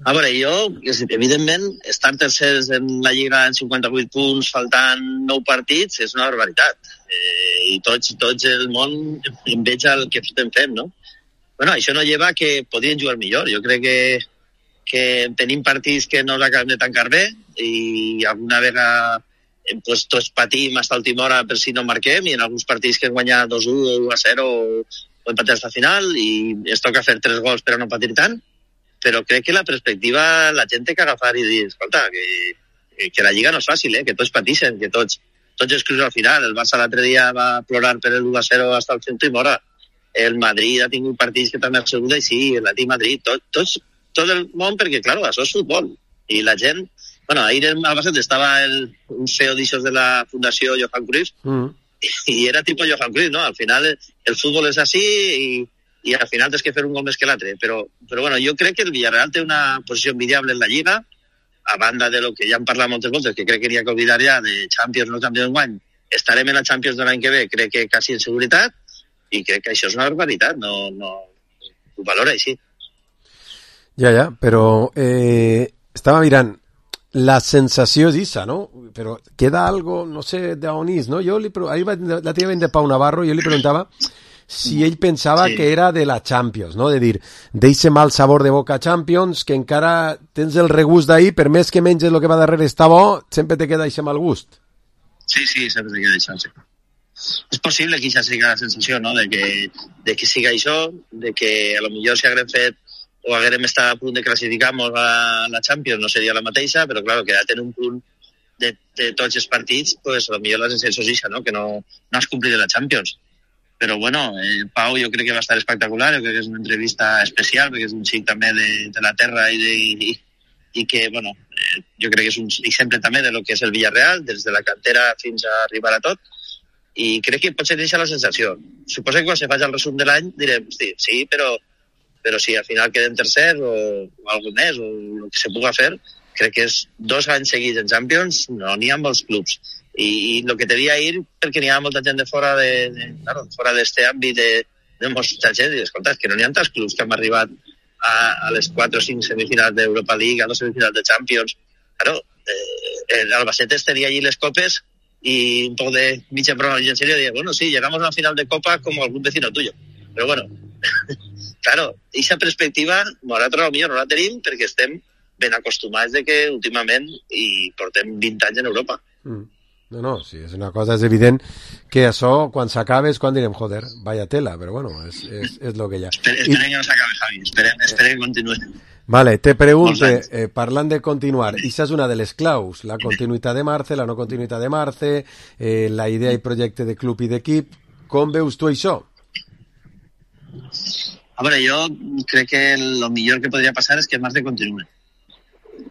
A veure, jo, evidentment, estar tercers en la Lliga en 58 punts, faltant 9 partits, és una barbaritat. I tots el món enveja el que estem fent, no? Bueno, això no lleva que podrien jugar millor. Jo crec que tenim partits que no els acabem de tancar bé i alguna vegada pues, tots patim fins a última hora per si no marquem i en alguns partits que hem guanyat 2-1 o 1-0 o empatem fins al final i es toca fer 3 gols per a no patir tant. Però crec que la perspectiva la gent té que agafar i dir, escolta, que la Lliga no és fàcil, que tots patixen, que tots els clubs al final. El Barça l'altre dia va plorar per el 1-0 fins al 100 i mora. El Madrid ha tingut partits que també ha sigut així, l'Atlètic Madrid, tot el món, perquè, clar, això és futbol. I la gent... Bueno, ahir al Barça estava un CEO d'aixòs de la Fundació Johan Cruyff i era tipus Johan Cruyff, no? Al final el futbol és així i al final tens que fer un gol més que l'altre. Però bueno, jo crec que el Villarreal té una posició envidiable en la Lliga, a banda de lo que ja hem parlat moltes voltes, que crec que n'hi ha que oblidar ja de Champions, no Champions d'enguany. Estarem en la Champions de l'any que ve, crec que quasi en seguretat, i crec que això és una barbaritat, no ho valora així. Ja, però estava mirant, la sensació és issa, no? Però queda algo, no sé, d'on és, no? Jo ahir la teva de Pau Navarro, jo li preguntava si ell pensava que era de la Champions, no? De dir, d'eixe mal sabor de boca Champions, que encara tens el regust d'ahir, per més que menges el que va darrere està bo, sempre te queda eixe mal gust. Sí, sempre te queda això, sí. És possible que això sigui la sensació, no? De que siga això, de que a lo millor si haguem fet o haguem estat a punt de classificar-nos a la Champions no seria la mateixa, però clar, que en un punt de tots els partits, pues a lo millor la sensació és això, no? Que no has complit la Champions. Però bueno, Pau jo crec que va estar espectacular, jo crec que és una entrevista especial, perquè és un xic també de la terra i que, bueno, jo crec que és un exemple també de lo que és el Villarreal, des de la cantera fins a arribar a tot, i crec que pot ser aquesta la sensació. Suposo que quan se faci el resum de l'any direm, sí, però si al final quedem tercers o algun més, o el que se puga fer, crec que és 2 anys seguits en Champions, no n'hi ha molts clubs. I el que te devia ir, perquè n'hi ha molta gent de fora fora d'este àmbit de molta gent, i escolta, que no n'hi ha tants clubs que han arribat a les 4 o 5 semifinals d'Europa League, a les semifinals de Champions. Claro, el Albacete tenia allí les copes y un poco de mitja broma en serio, diría, bueno, sí, llegamos a una final de Copa como algún vecino tuyo. Pero bueno, claro, esa perspectiva, nosaltres potser no la tenim perquè estem ben acostumats de que últimament i portem 20 anys en Europa. No, sí, és una cosa, és evident que això, quan s'acaba, és quan direm, joder, vaya tela, però bueno, és lo que hi ha. Esperem que no s'acabe, Javi, esperem que continuï. Vale, te pregunte, parlant de continuar, això és una de les claus, la continuïtat de Marce, la no continuïtat de Marce, la idea i projecte de club i d'equip, com veus tu això? A veure, jo crec que el millor que podria passar és que Marce continuï.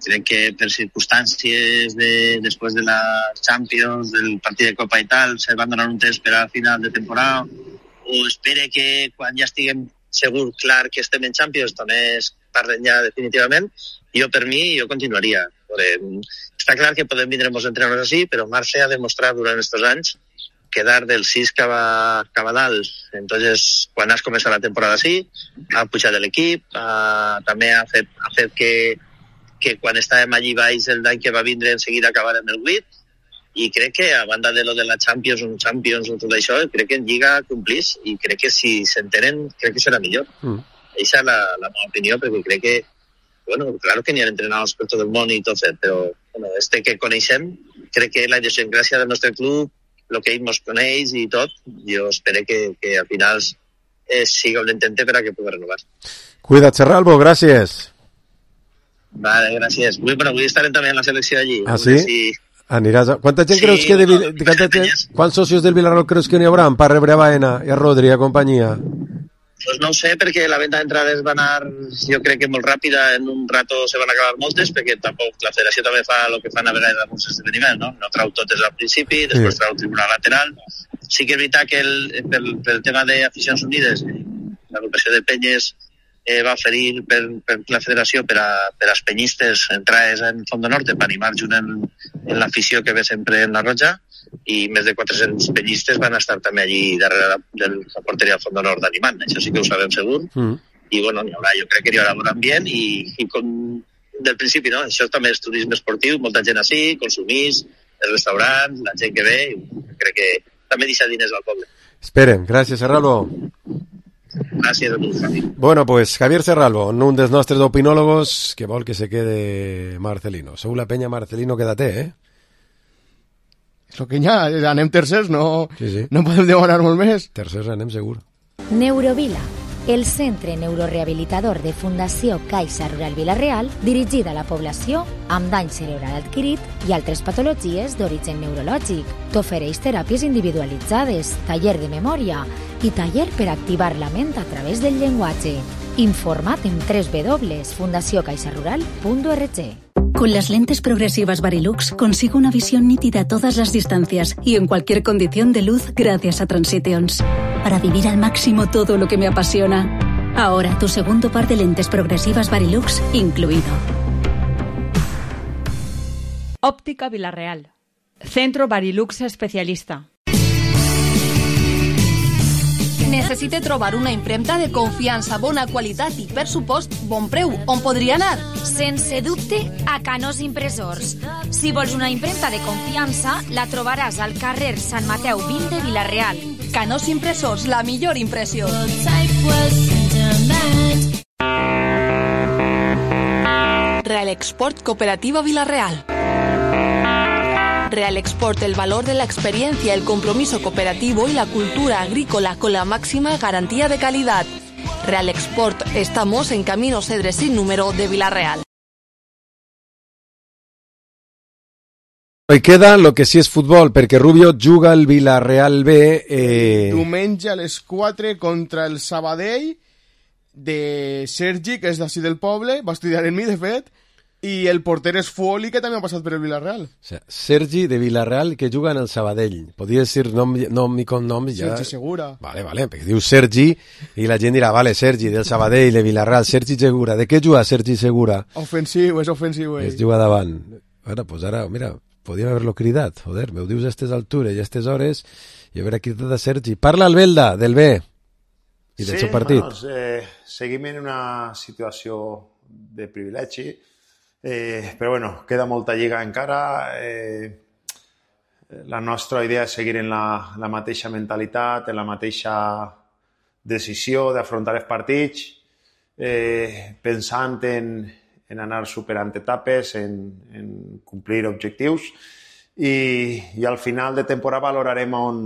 Crec que per circumstàncies després de la Champions, del partit de Copa i tal, se van donar un temps per al final de temporada, o espere que quan ja estiguem segur clar que estem en Champions també es parlen ja definitivament. Jo, per mi, jo continuaria. Està clar que podem vindre molts entrenadors així, però Marce ha demostrat durant aquests anys quedar del 6 cap a dalt. Entonces, quan has començat la temporada així, ha pujat l'equip, també ha fet que quan estàvem allí baix el d'any que va vindre en seguida acabar en el 8, i crec que a banda de lo de la Champions o tot això, crec que en Lliga complís, i crec que si s'entenen crec que serà millor. Aquesta és la meva opinió, perquè crec que bueno, claro que n'hi ha entrenadors per tot el món i tot, però bueno, que coneixem, crec que la idiosincràsia del nostre club, el que ell ens coneix i tot, jo espero que al final siga un intente per a que pugui renovar. Cuida't, Serralbo, gràcies. Vale, gràcies. Vull estar també en la selecció allí. Ah, sí? Si... Aniràs a... Quanta gent creus que quants socios del Villarreal creus que n'hi haurà per rebre a Baena i a Rodri i a companyia? Pues no ho sé, perquè la venda d'entrades va anar, jo crec que molt ràpida, en un rato se van acabar moltes, perquè tampoc la federació també fa el que fan a vegades en alguns esdeveniments, no? No trau totes al principi, després trau el tribunal lateral. Sí que és veritat que pel tema d'Aficions Unides, l'agrupació de penyes va oferir per la federació per als penyistes entrades en Fondo Norte per animar junt en l'afició que ve sempre en la Roja, i més de 400 penyistes van estar també allí darrere de la porteria del Fondo Nord animant, això sí que ho sabem segur. I bueno, jo crec que hi haurà bon ambient i com del principi, no? Això també és turisme esportiu, molta gent així, consumís, els restaurants, la gent que ve, crec que també deixa diners al poble. Esperen, gràcies, Serralvo. Gràcies a tu, Javi. Bueno, pues Javier Serralvo, un dels nostres opinòlogos que vol que se quede Marcelino. Sou la penya Marcelino que té, És el que hi ha, anem tercers, no sí. No podem demanar molt més. Tercers anem segur. Neurovila, el centre neurorehabilitador de Fundació Caixa Rural Vila-real, dirigida a la població amb dany cerebral adquirit i altres patologies d'origen neurològic. T'ofereix teràpies individualitzades, taller de memòria i taller per activar la ment a través del llenguatge. Informa't en www.fundaciocaixarural.org. Con las lentes progresivas Varilux consigo una visión nítida a todas las distancias y en cualquier condición de luz gracias a Transitions. Para vivir al máximo todo lo que me apasiona. Ahora tu segundo par de lentes progresivas Varilux incluido. Óptica Vila-real. Centro Varilux especialista. Necessite trobar una impremta de confiança, bona qualitat i, per supost, bon preu. On podria anar? Sense dubte, a Canós Impressors. Si vols una impremta de confiança, la trobaràs al carrer Sant Mateu 20 de Vila-real. Canós Impressors, la millor impressió. Real Export Cooperativa Vila-real. Real Export, el valor de la experiencia, el compromiso cooperativo y la cultura agrícola con la máxima garantía de calidad. Real Export, estamos en Camino Cedres sin número de Vila-real. I queda lo que sí és futbol, perquè Rubio juga al Vila-real B. Diumenge a les 4 contra el Sabadell de Sergi, que és d'ací del poble, va estudiar en mi, de fet, i el porter és Fuoli, que també ha passat per el Vila-real. O sea, Sergi de Vila-real que juga en el Sabadell. Podria dir nom i cognom. Ja... Sergi Segura. Vale, perquè diu Sergi i la gent dirà, vale, Sergi del Sabadell, de Vila-real, Sergi Segura. De què juga Sergi Segura? Ofensiu, és ofensiu. Es juga davant. Ara, mira, podíem haver-lo cridat. Joder, m'ho dius a aquestes altures i a aquestes hores i haver cridat a Sergi. Parla el Belda, del B i del seu partit. Bueno, seguim en una situació de privilegi. Però bueno, queda molta lliga encara. La nostra idea és seguir en la mateixa mentalitat, en la mateixa decisió d'afrontar els partits, pensant en anar superant etapes, en complir objectius i al final de temporada valorarem on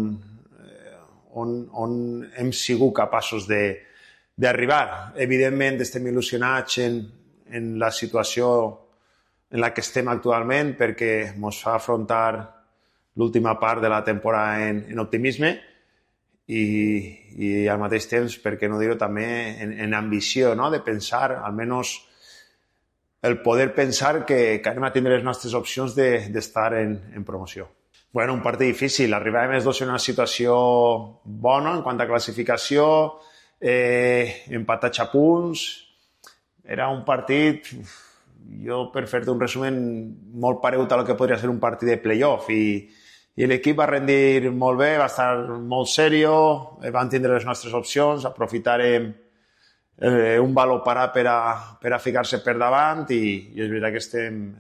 hem sigut capaços d'arribar. Evidentment estem il·lusionats en la situació en la que estem actualment perquè ens fa afrontar l'última part de la temporada en optimisme i al mateix temps, per què no dir-ho, també en ambició, no? De pensar, almenys el poder pensar que anem a tindre les nostres opcions d'estar en promoció. Bueno, un partit difícil. Arribàvem els dos en una situació bona en quant a classificació, empatats a punts. Era un partit... Jo, per fer-te un resumen, molt paregut a lo que podria ser un partit de playoff i l'equip va rendir molt bé, va estar molt serio, van tindre les nostres opcions, aprofitarem un valor parat per a ficar-se per davant i és veritat que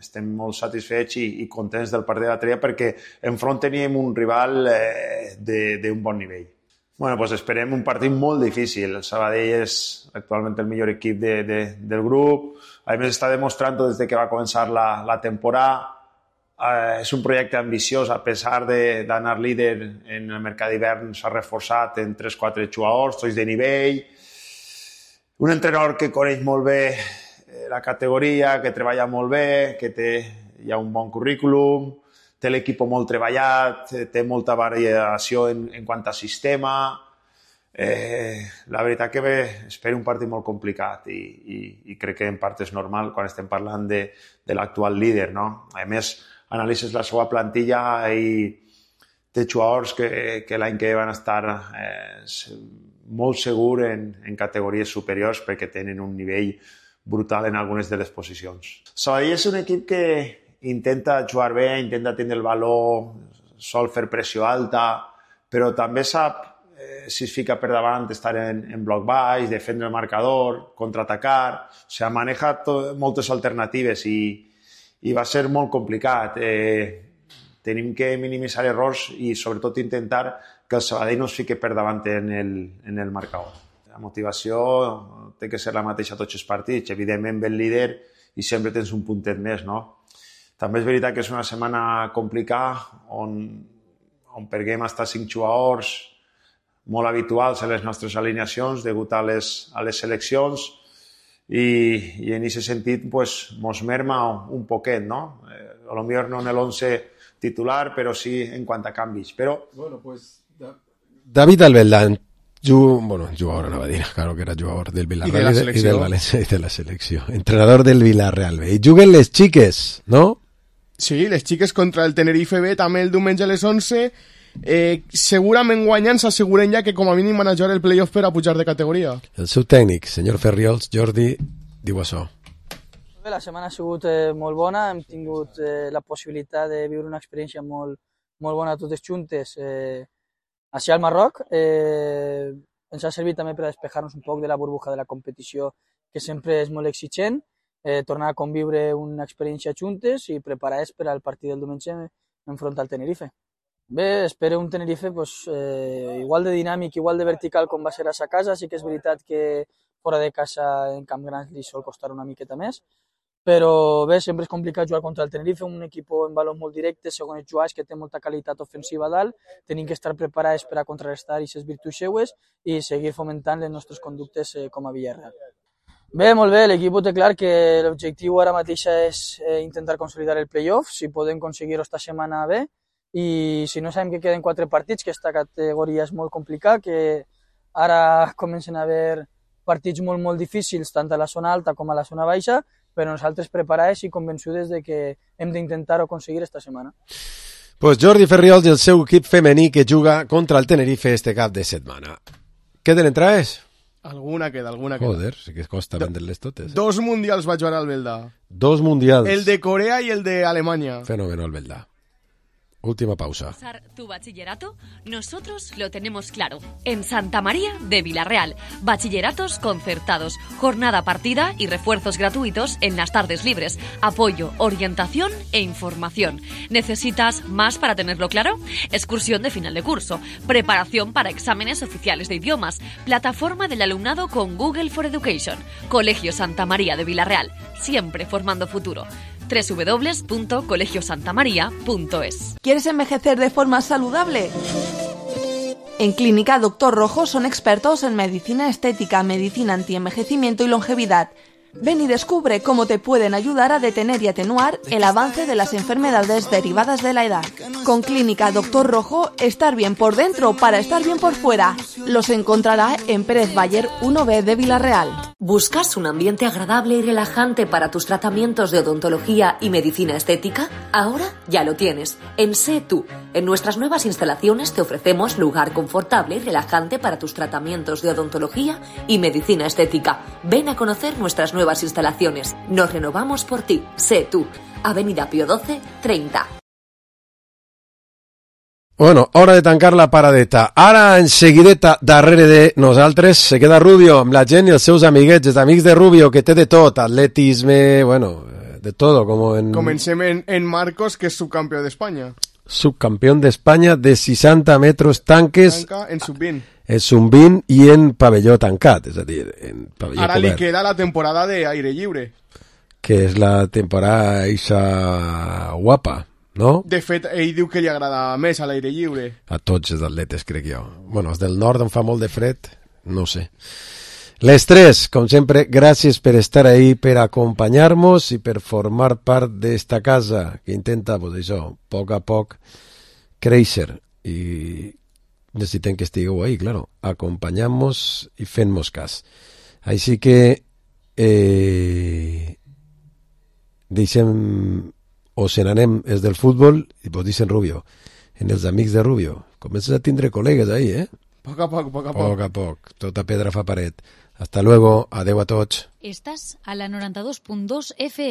estem molt satisfets i contents del partit de la Tria perquè enfront teníem un rival d'un bon nivell. Bueno, pues esperem un partit molt difícil. El Sabadell és actualment el millor equip del grup. A més, està demostrant des que va començar la temporada. És un projecte ambiciós, a pesar d'anar líder en el mercat d'hivern, s'ha reforçat en 3-4 jugadors, tots de nivell. Un entrenador que coneix molt bé la categoria, que treballa molt bé, que hi ha un bon currículum, té l'equip molt treballat, té molta variació en quant a sistema. La veritat que espero un partit molt complicat i crec que en part és normal quan estem parlant de l'actual líder, no? A més, analitzes la seva plantilla i té jugadors que l'any que van estar molt segur en categories superiors perquè tenen un nivell brutal en algunes de les posicions. Sabadell és un equip que intenta jugar bé, intenta tenir el valor, sol fer pressió alta, però també sap si es fica per davant estar en bloc baix, defendre el marcador, contraatacar, o sigui, maneja moltes alternatives i va ser molt complicat. Tenim que minimitzar errors i sobretot intentar que el Sabadell no es fiqui per davant en el marcador. La motivació té que ser la mateixa a tots els partits. Evidentment, ve el líder i sempre tens un puntet més, no? També és veritat que és una setmana complicada on perdem fins 5 jugadors molt habituals a les nostres alineacions degut a les seleccions i en aquest sentit mos merma un poquet, no? A lo millor no en l'11 titular, però sí en quant a canvis. Però... Bueno, pues... David Albelda, jugador, anava a dir, claro que era jugador del Villarreal i del València i de la selecció. Entrenador del Villarreal B. I juguen les xiques, no? Sí, les xiques contra el Tenerife B, també el diumenge a les 11. Segurament guanyant s'asseguren ja que com a mínim van a jugar el playoff per a pujar de categoria. El seu tècnic, senyor Ferriols, Jordi, diu això. La setmana ha sigut molt bona, hem tingut la possibilitat de viure una experiència molt bona totes juntes així al Marroc. Ens ha servit també per a despejar-nos un poc de la burbuja de la competició, que sempre és molt exigent, tornar a conviure una experiència juntes i preparar-nos per al partit del diumenge enfront al Tenerife. Bé, espero un Tenerife igual de dinàmic, igual de vertical com va ser a sa casa. Sí que és veritat que fora de casa en Camp Gran li sol costar una miqueta més, però bé, sempre és complicat jugar contra el Tenerife, un equip en valors molt directes, segons jugadors, que té molta qualitat ofensiva a dalt. Tenim que estar preparats per a contrarrestar aquestes virtuts seues i seguir fomentant les nostres conductes com a Villarreal. Bé, molt bé, l'equip té clar que l'objectiu ara mateix és intentar consolidar el playoff, si podem aconseguir-ho esta setmana bé, i si no sabem que queden 4 partits, que aquesta categoria és molt complicada, que ara comencen a haver partits molt difícils tant a la zona alta com a la zona baixa, però nosaltres preparats i convençudes de que hem d'intentar-ho aconseguir esta setmana. Pues Jordi Ferriols i el seu equip femení que juga contra el Tenerife este cap de setmana. Queden entrades? Alguna queda. Joder, sí que costa vendre-les totes. 2 mundials va jugar al Belda. 2 mundials. El de Corea y el de Alemania. Fenómeno el Belda. Última pausa. ¿Tu bachillerato? Nosotros lo tenemos claro. En Santa María de Villarreal. Bachilleratos concertados, jornada partida y refuerzos gratuitos en las tardes libres. Apoyo, orientación e información. ¿Necesitas más para tenerlo claro? Excursión de final de curso. Preparación para exámenes oficiales de idiomas. Plataforma del alumnado con Google for Education. Colegio Santa María de Villarreal. Siempre formando futuro. www.colegiosantamaria.es. ¿Quieres envejecer de forma saludable? En Clínica Dr. Rojo son expertos en medicina estética, medicina antienvejecimiento y longevidad. Ven y descubre cómo te pueden ayudar a detener y atenuar el avance de las enfermedades derivadas de la edad. Con Clínica Dr. Rojo, estar bien por dentro para estar bien por fuera. Los encontrará en Pérez Bayer 1B de Villarreal. ¿Buscas un ambiente agradable y relajante para tus tratamientos de odontología y medicina estética? Ahora ya lo tienes. En Sé Tú. En nuestras nuevas instalaciones te ofrecemos lugar confortable y relajante para tus tratamientos de odontología y medicina estética. Ven a conocer nuestras nuevas instalaciones. Nos renovamos por ti. Sé Tú. Avenida Pío 12, 30. Bueno, hora de tancar la paradeta. Ara, en seguideta, darrere de nosaltres, se queda Rubio, amb la gent i els seus amiguets, els amics de Rubio, que té de tot, atletisme, bueno, de todo, como en... Comencem en Marcos, que és subcampió d'Espanya. Subcampión de España de 60 metros tanques... Tanca en sub-20. En sub-20 i en pavelló tancat, és a dir, en pavelló Ara cobert. li queda la temporada d'aire lliure. Que és la temporada eixa guapa, no? De fet, ell diu que li agrada més a l'aire lliure. A tots els atletes, crec jo. Bueno, els del nord on fa molt de fred, no ho sé. Les tres, com sempre, gràcies per estar ahí, per acompanyar-nos i per formar part d'esta casa que intenta, pues això, a poc créixer i necessitem que estigueu ahí, claro, acompanyant-nos i fent-nos cas. Així que deixem o se n'anem els del futbol i vos dicen Rubio, en els amics de Rubio comences a tindre col·legues ahí, Poc a poc. Poc a poc. Tota pedra fa paret. Hasta luego. Adeu a tots. Estàs a la 92.2 FM.